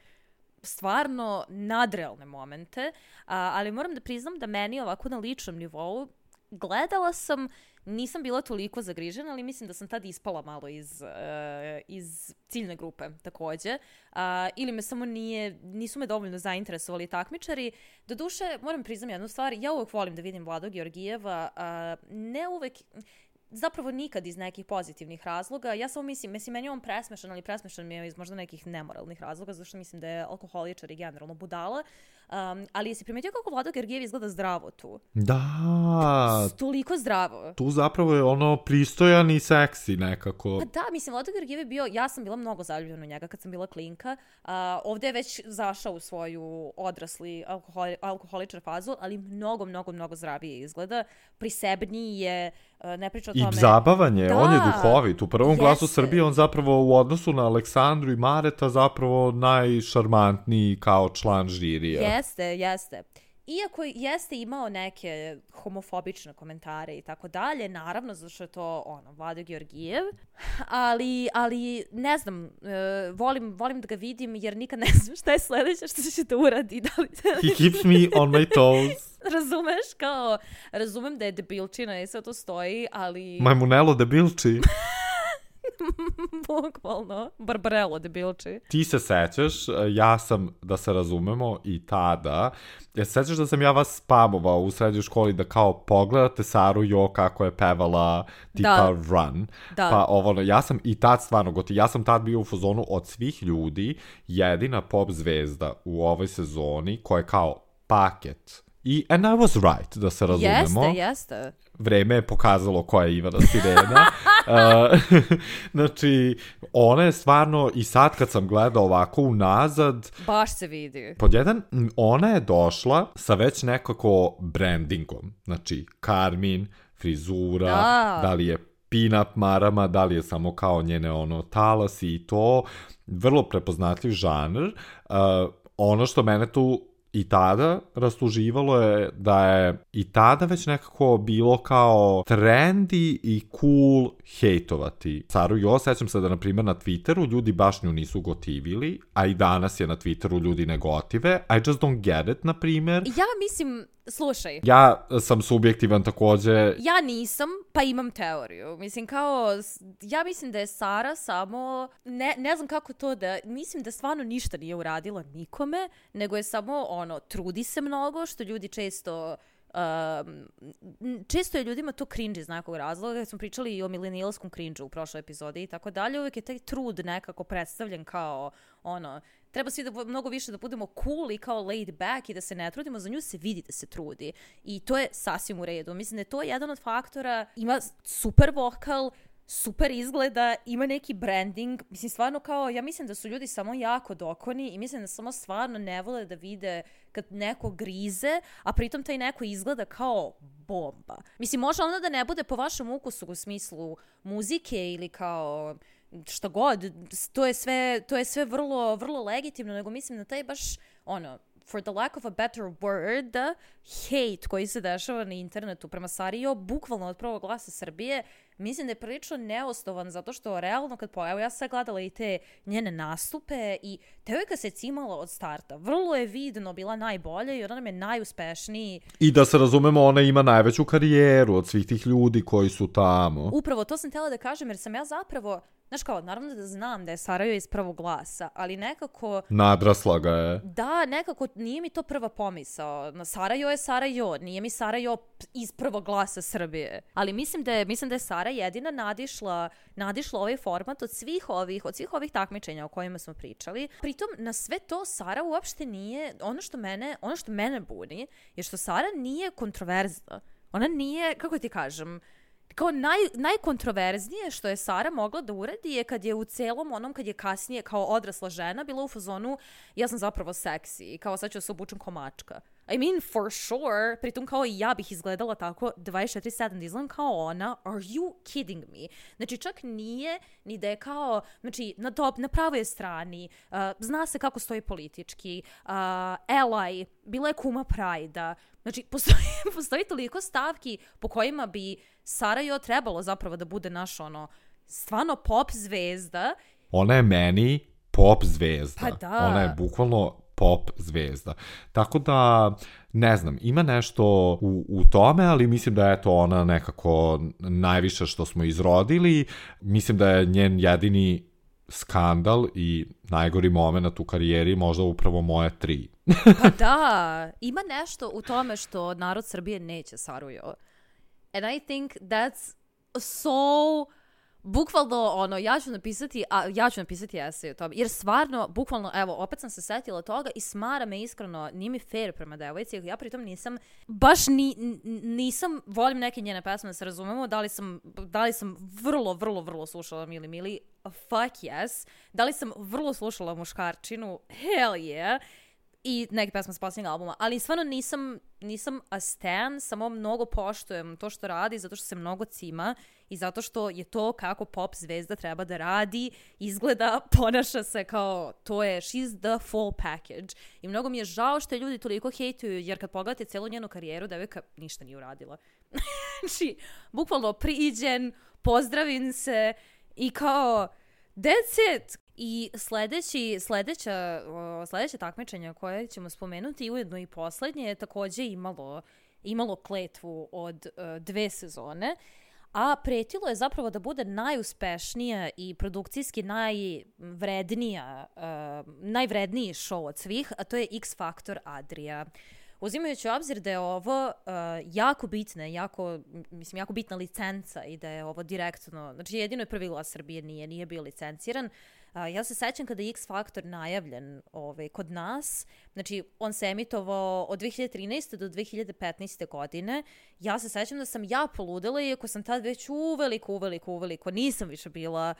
stvarno nadrealne momente, ali moram da priznam da meni ovako na ličnom nivou gledala sam, nisam bila toliko zagrižena, ali mislim da sam tad ispala malo iz ciljne grupe takođe. Ili me samo nisu me dovoljno zainteresovali takmičari. Doduše, moram priznam jednu stvar, ja uvek volim da vidim Vladu Georgijeva, ne uvek... Zapravo nikad iz nekih pozitivnih razloga. Ja samo mislim, meni je on presmešan, ali presmešan mi je iz možda nekih nemoralnih razloga, zato što mislim da je alkoholičar i generalno budala. Ali jesi primetio kako Vlado Georgijev izgleda zdravo tu? Da. Toliko zdravo. Tu zapravo je ono pristojan i seksi nekako. Pa da, mislim, Vlado Georgijev je bio, ja sam bila mnogo zaljubljena u njega kad sam bila klinka. Ovde je već zašao u svoju odrasli alkoholičar fazu, ali mnogo zdravije izgleda. Prisebniji je, ne priča o tome. I zabavan je, on je duhovit. U Prvom glasu Srbije on zapravo u odnosu na Aleksandru i Mareta zapravo najšarmantniji kao član žirija. Jeste. Iako jeste imao neke homofobične komentare i tako dalje, naravno, zato što je to Vlado Georgijev, ali ne znam, volim da ga vidim jer nikad ne znam šta je sledeće što će da uradi. He keeps me on my toes. Razumeš, razumem da je debilčina i sve to stoji, ali... Majmunelo debilči. Bukvalno, Barbarello debilči. Ti se sećaš, ja sam, da se razumemo, i tada, sećaš da sam ja vas spamovao u srednjoj školi da kao pogledate Saru Jo kako je pevala tipa Run. Da. Pa ja sam i tad stvarno ja sam tad bio u fazonu od svih ljudi jedina pop zvezda u ovoj sezoni koja je kao paket. And I was right, da se razumemo. Jeste. Vreme je pokazalo koja je Ivana Sirena. Znači, ona je stvarno, i sad kad sam gledao ovako unazad... Baš se vidi. Pod jedan, ona je došla sa već nekako brandingom. Znači, karmin, frizura, da li je pin-up marama, da li je samo kao njene talasi i to. Vrlo prepoznatljiv žanr. Ono što mene tu i tada rastuživalo je da je i tada već nekako bilo kao trendy i cool hejtovati Saru Jo. Sećam se da, na primjer, na Twitteru ljudi baš nju nisu gotivili, a i danas je na Twitteru ljudi ne gotive. I just don't get it, na primjer. Ja mislim, slušaj. Ja sam subjektivan takođe. Ja nisam, pa imam teoriju. Mislim, ja mislim da je Sara samo, ne znam kako to da, mislim da stvarno ništa nije uradila nikome, nego je samo trudi se mnogo, što ljudi često je ljudima to cringe iz nekog razloga. Kad smo pričali i o milenijalskom cringe-u u prošloj epizodi i tako dalje, uvijek je taj trud nekako predstavljen kao treba svi mnogo više da budemo cool i kao laid back i da se ne trudimo, za nju se vidi da se trudi i to je sasvim u redu. Mislim da je to jedan od faktora. Ima super vokal, super izgleda, ima neki branding, mislim stvarno kao, ja mislim da su ljudi samo jako dokoni i mislim da samo stvarno ne vole da vide kad neko grize, a pritom taj neko izgleda kao bomba. Mislim, može ono da ne bude po vašem ukusu u smislu muzike ili kao šta god, to je sve vrlo, vrlo legitimno, nego mislim da taj baš, for the lack of a better word, hate koji se dešava na internetu prema Sari Jo, bukvalno od Prvog glasa Srbije, mislim da je prilično neosnovan, zato što realno evo ja sam gledala i te njene nastupe i devojka se cimala od starta. Vrlo je vidno bila najbolja i ona nam je najuspešniji. I da se razumemo, ona ima najveću karijeru od svih tih ljudi koji su tamo. Upravo, to sam htjela da kažem, jer sam ja zapravo, znaš kao, naravno da znam da je Sara Jo iz Prvog glasa, ali nekako... Nadrasla ga je. Da, nekako nije mi to prva pomisao. Sara Jo je Sara Jo, nije mi Sara Jo iz Prvog glasa Srbije. Ali mislim da je Sara jedina nadišla ovaj format od svih ovih takmičenja o kojima smo pričali. Pritom, na sve to Sara uopšte nije, ono što mene buni je što Sara nije kontroverzna. Ona nije, kako ti kažem, kao najkontroverznije što je Sara mogla da uradi je kad je u celom onom, kad je kasnije kao odrasla žena bila u fazonu ja sam zapravo seksi, kao sad ću se obučem ko mačka. I mean, for sure, pritom kao i ja bih izgledala tako 24/7, da izgledam kao ona, are you kidding me? Znači, čak nije ni da je kao, znači, na pravoj strani, zna se kako stoji politički, ally, bila je kuma Prajda, znači, postoji toliko stavki po kojima bi Sarajevo trebalo zapravo da bude naš, stvarno pop zvezda. Ona je meni pop zvezda. Pa da. Ona je bukvalno pop zvezda. Tako da, ne znam, ima nešto u tome, ali mislim da je to ona nekako najviše što smo izrodili. Mislim da je njen jedini skandal i najgori moment u karijeri možda upravo moje 3. Pa da, ima nešto u tome što narod Srbije neće Sarujo. And I think that's so... Bukvalno, ja ću napisati esej o tome, jer stvarno, bukvalno, evo, opet sam se setila toga i smara me iskreno, nije mi fair prema devojci, ja pritom nisam, nisam, volim neke njene pesme da se razumemo, da li sam vrlo slušala Mili, fuck yes, da li sam vrlo slušala Muškarčinu, hell yeah, i neke pesme s posljednjeg albuma, ali stvarno nisam a stan, samo mnogo poštujem to što radi, zato što se mnogo cima i zato što je to kako pop zvezda treba da radi, izgleda, ponaša se kao, to je, she's the full package. I mnogo mi je žao što je ljudi toliko hejtuju, jer kad pogledate celu njenu karijeru, devojka ništa nije uradila. Znači, bukvalno priđen, pozdravim se i kao, that's it. I sledeće takmičenje koje ćemo spomenuti, ujedno i poslednje, je takođe imalo kletvu od 2 sezone, a pretilo je zapravo da bude najuspešnija i produkcijski najvredniji show od svih, a to je X Factor Adria. Uzimajući u obzir da je ovo jako bitna licenca i da je ovo direktno, znači jedino je prvi glas Srbije nije bio licenciran. Ja se sećam kada je X Factor najavljen kod nas, znači on se emitovao od 2013. do 2015. godine. Ja se sećam da sam ja poludela, iako sam tad već uveliko, nisam više bila...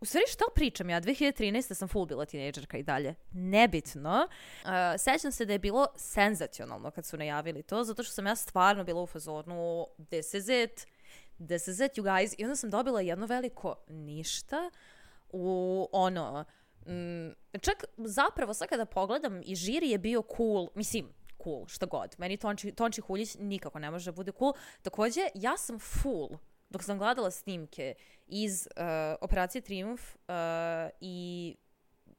U stvari, šta pričam ja? 2013. sam full bila tinejdžerka i dalje. Nebitno. Sećam se da je bilo senzacionalno kad su najavili to, zato što sam ja stvarno bila u fazonu this is it, you guys. I onda sam dobila jedno veliko ništa čak zapravo sad kada pogledam i žiri je bio cool, cool, šta god. Meni Tonči Huljić nikako ne može da bude cool. Takođe, ja sam full dok sam gledala snimke iz Operacije Trijumf i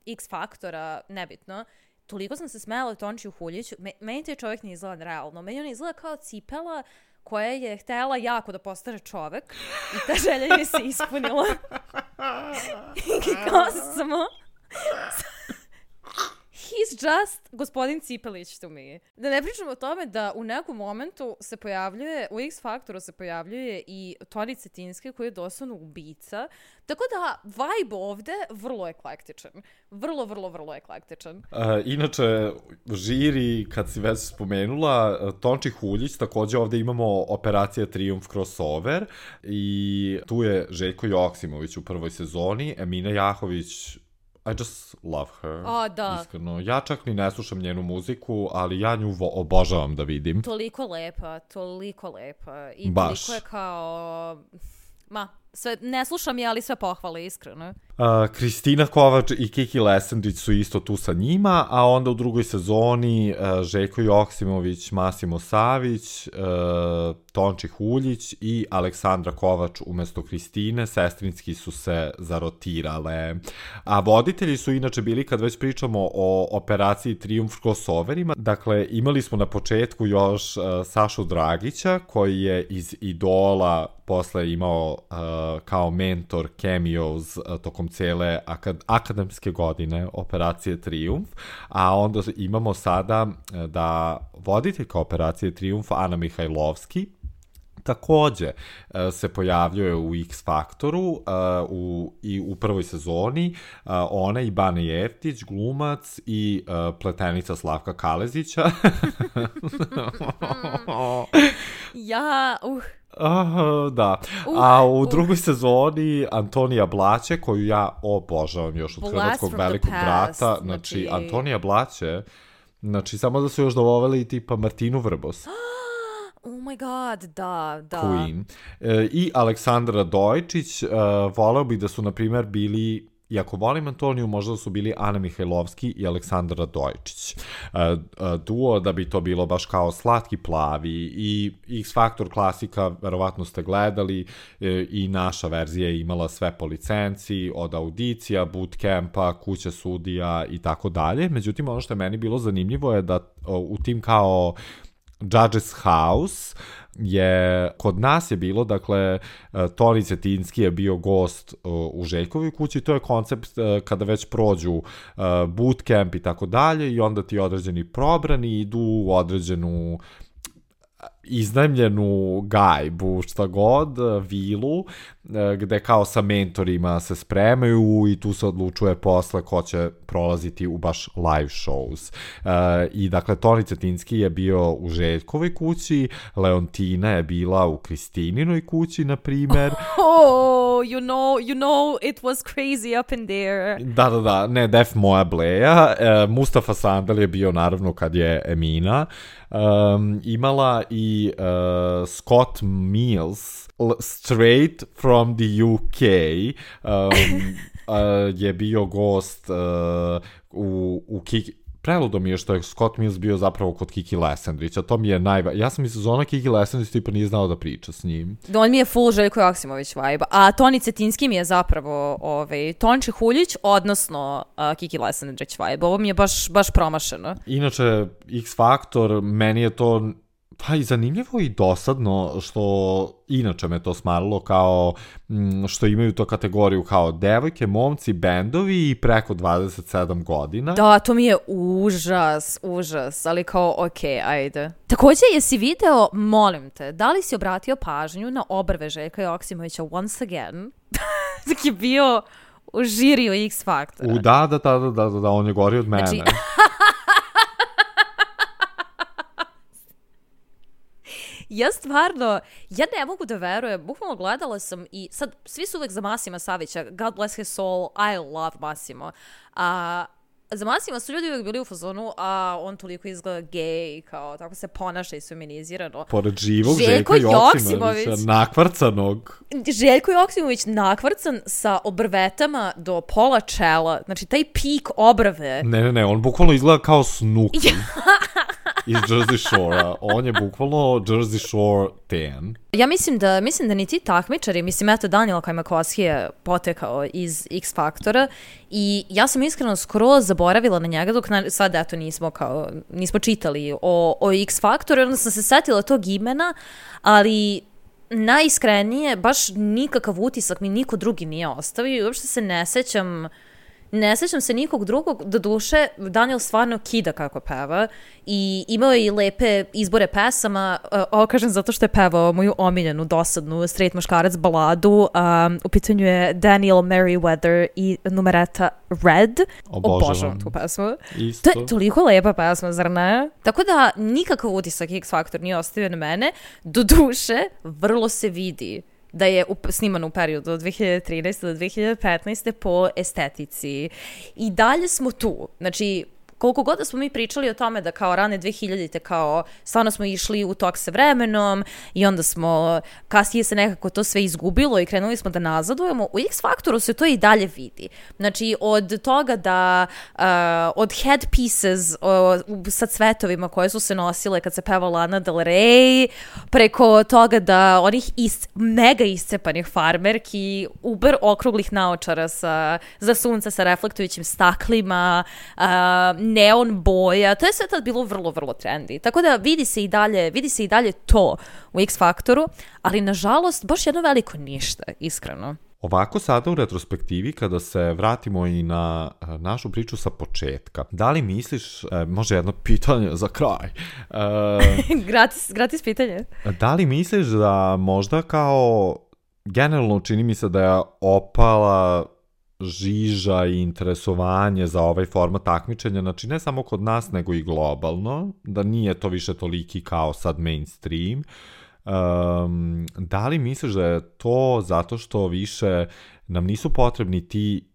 X Faktora, nebitno, toliko sam se smejala Tončiju Huljiću. Meni taj čovjek ne izgleda realno. Meni on izgleda kao cipela koja je htjela jako da postane čovek i ta želja je se ispunila. I kao samo... He's just gospodin Cipelić to me. Da ne pričamo o tome da u nekom momentu se pojavljuje, u X Faktoru se pojavljuje i Toni Cetinski koji je doslovno ubica. Tako da vibe ovde vrlo eklektičan. Vrlo eklektičan. Inače, žiri, kad si već spomenula, Tonči Huljić, takođe ovde imamo Operacija Trijumf crossover i tu je Željko Joksimović u prvoj sezoni, Emina Jahović, I just love her, iskreno. Ja čak ni ne slušam njenu muziku, ali ja nju obožavam da vidim. Toliko lepa. I baš. Toliko je kao... sve, ne slušam je, ali sve pohvale, iskreno. Kristina Kovač i Kiki Lesandić su isto tu sa njima, a onda u drugoj sezoni Željko Joksimović, Masimo Savić, Tonči Huljić i Aleksandra Kovač umesto Kristine, sestrinski su se zarotirale. A voditelji su inače bili, kad već pričamo o Operaciji Trijumf crossoverima, dakle imali smo na početku još Sašu Dragića, koji je iz Idola posle imao kao mentor cameos tokom cijele akademske godine Operacije Trijumf, a onda imamo sada da voditeljka Operacije Trijumf Ana Mihajlovski takođe se pojavljuje u X Faktoru i u prvoj sezoni. Ona i Bane Jeftić, glumac, i pletenica Slavka Kalezića. Da. A u drugoj sezoni Antonija Blaće, koju ja obožavam još od Hrvatskog velikog brata. Znači, Antonija Blaće, znači, samo da su još doveli tipa Martinu Vrbos. Oh my god, da. Queen. I Aleksandra Dojčić, voleo bih da su, na primjer, bili, iako volim Antoniju, možda su bili Ana Mihajlovski i Aleksandra Dojčić. Duo, da bi to bilo baš kao Slatki plavi i X Faktor klasika, verovatno ste gledali, i naša verzija je imala sve po licenciji, od audicija, bootcampa, kuća sudija i tako dalje. Međutim, ono što je meni bilo zanimljivo je da u tim kao Judges House kod nas je bilo, dakle, Toni Cetinski je bio gost u Željkovoj kući, to je koncept kada već prođu bootcamp i tako dalje, i onda ti određeni probrani idu u određenu iznajmljenu gajbu, šta god, vilu, gde kao sa mentorima se spremaju i tu se odlučuje posle ko će prolaziti u baš live shows. I dakle, Toni Cetinski je bio u Željkovoj kući, Leontina je bila u Kristininoj kući, na primer. Oh, you know, it was crazy up in there. Da, ne, Def Moja Bleja. Mustafa Sandal je bio, naravno, kad je Emina imala, i Scott Mills, straight from the UK, je bio gost u Kiki. Preludo mi je što je Scott Mills bio zapravo kod Kiki Lesendrića, to mi je ja sam iz sezona Kiki Lesendrić tipa nije znao da priča s njim. On mi je full Željko Joksimović vibe, a Toni Cetinski mi je zapravo Tonči Huljić, odnosno Kiki Lesendrić vibe. Ovo mi je baš promašeno. Inače, X Faktor, meni je to pa i zanimljivo i dosadno, što inače me to smaralo, kao što imaju to kategoriju kao devojke, momci, bendovi i preko 27 godina. Da, to mi je užas, ali kao okej, ajde. Također, jesi video, molim te, da li si obratio pažnju na obrve Željka Joksimovića once again, dok je bio u žiriju X Faktora? Da, on je gori od mene. Znači, ja stvarno, ja ne mogu da verujem, bukvalno gledala sam i sad, svi su uvek za Masima Savića, God bless his soul, I love Masimo. Za Masima su ljudi uvek bili u fazonu, a on toliko izgleda gej, kao tako se ponaša i feminizirano. Pored živog Željka Joksimovića, nakvrcanog. Željko Joksimović nakvrcan sa obrvetama do pola čela, znači taj pik obrve. Ne, on bukvalno izgleda kao Snooki. Iz Jersey Shore-a. On je bukvalno Jersey Shore tan. Ja mislim da ni ti takmičari, mislim, eto, Daniel Kajmakovski je potekao iz X Faktora i ja sam iskreno skroz zaboravila na njega dok sad, eto, nismo čitali o X Faktoru, onda sam se setila tog imena, ali najiskrenije, baš nikakav utisak mi niko drugi nije ostavio i uopšte se ne sećam se nikog drugog, do duše Daniel stvarno kida kako peva i imao je i lepe izbore pesama, ovo kažem zato što je pevao moju omiljenu, dosadnu straight muškarac baladu, u pitanju je Daniel Merriweather i numereta Red. Obožavam tu pesmu. Isto. To je toliko lepa pesma, zar ne? Tako da nikakav utisak X Faktor nije ostavio na mene, do duše vrlo se vidi da je sniman u periodu od 2013. do 2015. po estetici. I dalje smo tu. Znači, koliko god da smo mi pričali o tome da kao rane 2000-te kao stvarno smo išli u tok sa vremenom i onda smo kasnije se nekako to sve izgubilo i krenuli smo da nazadujemo, u X Faktoru se to i dalje vidi. Znači, od toga da od headpieces sa cvetovima koje su se nosile kad se pevala Lana Del Rey, preko toga da onih mega iscepanih farmerki, uber okruglih naočara za sunce sa reflektujućim staklima, neon boja, to je sve tad bilo vrlo, vrlo trendy. Tako da vidi se i dalje to u X Faktoru, ali nažalost baš jedno veliko ništa, iskreno. Ovako sada u retrospektivi, kada se vratimo i na našu priču sa početka, da li misliš, može jedno pitanje za kraj, gratis pitanje. Da li misliš da možda kao, generalno čini mi se da je opala žiža i interesovanje za ovaj format takmičenja, znači ne samo kod nas, nego i globalno, da nije to više toliki kao sad mainstream. Da li misliš da je to zato što više nam nisu potrebni ti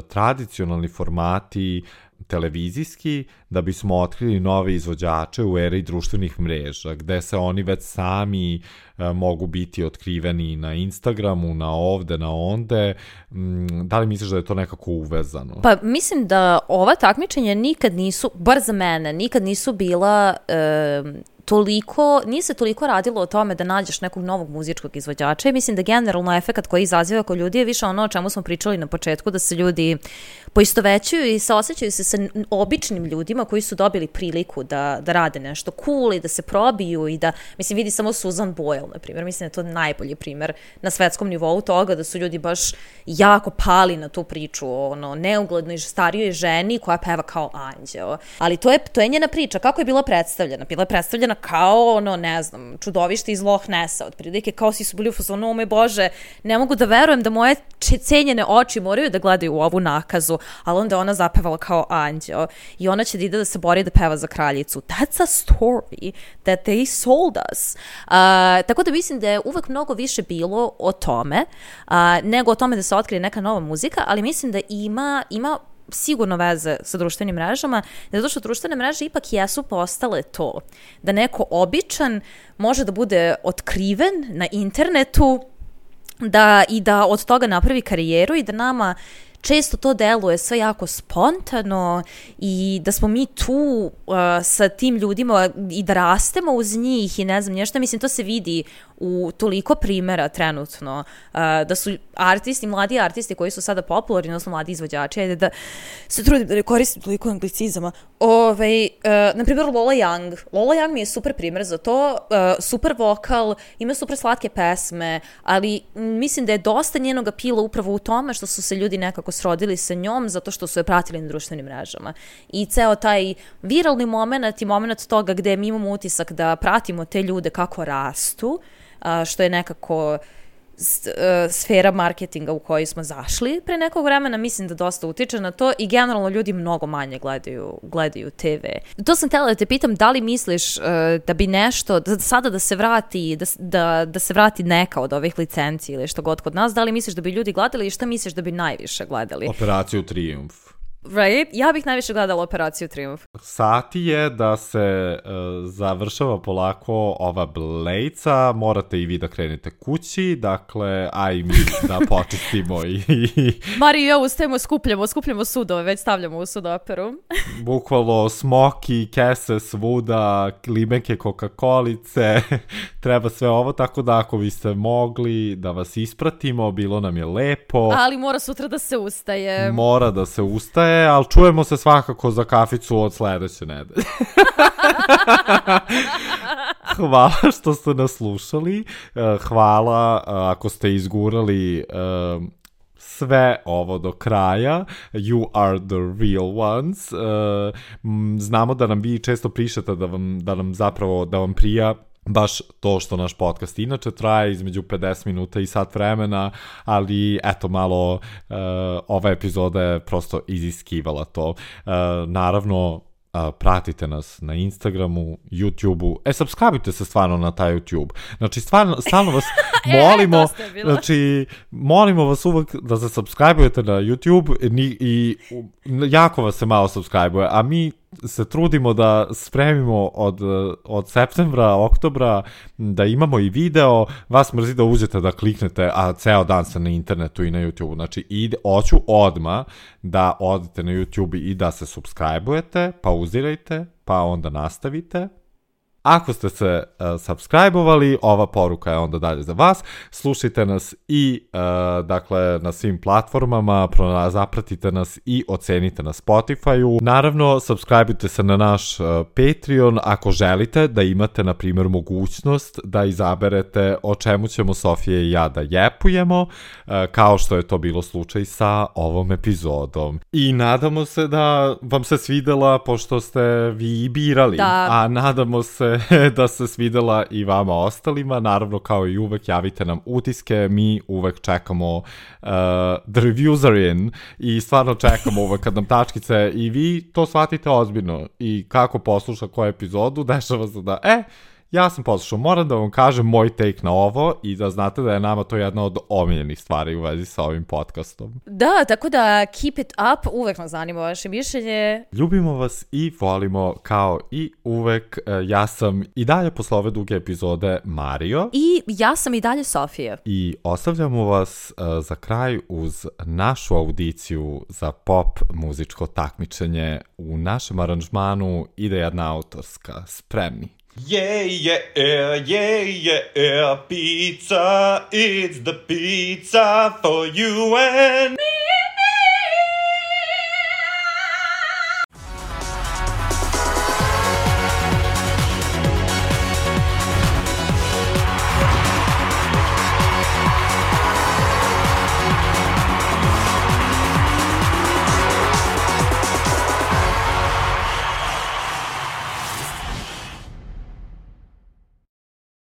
tradicionalni formati televizijski da bismo otkrili nove izvođače u eri društvenih mreža, gde se oni već sami mogu biti otkriveni na Instagramu, na ovde, na onde. Da li misliš da je to nekako uvezano? Pa mislim da ova takmičenja nikad nisu, bar za mene, nikad nisu bila nije se toliko radilo o tome da nađeš nekog novog muzičkog izvođača i mislim da generalno efekat koji izaziva kod ljudi je više ono o čemu smo pričali na početku, da se ljudi poistovećuju i saosećaju se sa običnim ljudima koji su dobili priliku da rade nešto cool i da se probiju i da, mislim, vidi samo Susan Boyle, na primjer, mislim da je to najbolji primjer na svetskom nivou toga da su ljudi baš jako pali na tu priču o neuglednoj starijoj ženi koja peva kao anđeo. Ali to je njena priča. Kako je bila predstavljena? Bila je predstavljena kao, ne znam, čudovište iz Loch Nessa, otprilike, kao svi su bili u fazonu, o moj Bože, ne mogu da verujem da moje cenjene oči moraju da gledaju u ovu nakazu, ali onda ona zapevala kao anđeo i ona će da ide da se bori da peva za kraljicu. That's a story that they sold us. Tako da mislim da je uvek mnogo više bilo o tome, nego o tome da se otkrije neka nova muzika, ali mislim da ima sigurno veze sa društvenim mrežama, zato što društvene mreže ipak jesu postale to. Da neko običan može da bude otkriven na internetu i da od toga napravi karijeru i da nama često to deluje sve jako spontano i da smo mi tu sa tim ljudima i da rastemo uz njih i ne znam nešto. Mislim, to se vidi u toliko primjera trenutno, da su mladi artisti koji su sada popularni, odnosno mladi izvođači, ajde da se trudim da ne koristim toliko anglicizama. Na primjer, Lola Young. Lola Young mi je super primjer za to, super vokal, ima super slatke pesme, ali mislim da je dosta njenog apila upravo u tome što su se ljudi nekako srodili sa njom zato što su je pratili na društvenim mrežama. I ceo taj viralni moment i moment toga gde mi imamo utisak da pratimo te ljude kako rastu, što je nekako sfera marketinga u kojoj smo zašli pre nekog vremena, mislim da dosta utiče na to i generalno ljudi mnogo manje gledaju TV. To sam htjela da te pitam, da li misliš da bi nešto, sada da se vrati, da se vrati neka od ovih licenci ili što god kod nas, da li misliš da bi ljudi gledali i šta misliš da bi najviše gledali? Operaciju Trijumf. Right? Ja bih najviše gledala Operaciju Trijumf. Sati je da se završava polako ova Blejca, morate i vi da krenete kući, dakle, a i mi da počistimo i... Mari i ja ustajemo, skupljamo sudove, već stavljamo u sudoperu. Bukvalno smoki, kese svuda, limenke Coca-Colice, treba sve ovo, tako da ako biste mogli da vas ispratimo, bilo nam je lepo. Ali mora sutra da se ustaje. Mora da se ustaje, ali čujemo se svakako za kaficu od sledeće nedelje. Hvala što ste nas slušali. Hvala ako ste izgurali sve ovo do kraja. You are the real ones. Znamo da nam vi često pišete da vam prija baš to što naš podcast inače traje između 50 minuta i sat vremena, ali eto malo ova epizoda je prosto iziskivala to. Naravno, pratite nas na Instagramu, YouTubeu. Subscribe-ite se stvarno na taj YouTube. Znači, stvarno vas molimo, znači, molimo vas uvek da se subscribe-ujete na YouTube i jako vas se malo subscribe-uje, a mi se trudimo da spremimo od septembra, oktobra, da imamo i video, vas mrzi da uđete da kliknete, a ceo dan ste na internetu i na YouTube. Znači, hoću odmah da odete na YouTube i da se subscribe-ujete, pauzirajte, pa onda nastavite, Ako ste se subscribe-ovali, ova poruka je onda dalje za vas. Slušajte nas i dakle na svim platformama, zapratite nas i ocenite na Spotify-u. Naravno, subscribe-ujte se na naš Patreon ako želite da imate, na primjer, mogućnost da izaberete o čemu ćemo Sofija i ja da jepujemo, kao što je to bilo slučaj sa ovom epizodom. I nadamo se da vam se svidela, pošto ste vi birali, a nadamo se da se svidela i vama ostalima. Naravno, kao i uvek, javite nam utiske, mi uvek čekamo the reviews are in i stvarno čekamo uvek kad nam tačkice i vi to shvatite ozbiljno i kako posluša koju epizodu, dešava se da ja sam poslušao, moram da vam kažem moj take na ovo i da znate da je nama to jedna od omiljenih stvari u vezi sa ovim podcastom. Da, tako da keep it up, uvek nas zanima vaše mišljenje. Ljubimo vas i volimo kao i uvek. Ja sam i dalje posle ove duge epizode Mario. I ja sam i dalje Sofija. I ostavljamo vas za kraj uz našu audiciju za pop muzičko takmičenje. U našem aranžmanu ide jedna autorska. Spremni? Yeah, yeah, yeah, yeah, pizza, it's the pizza for you and me.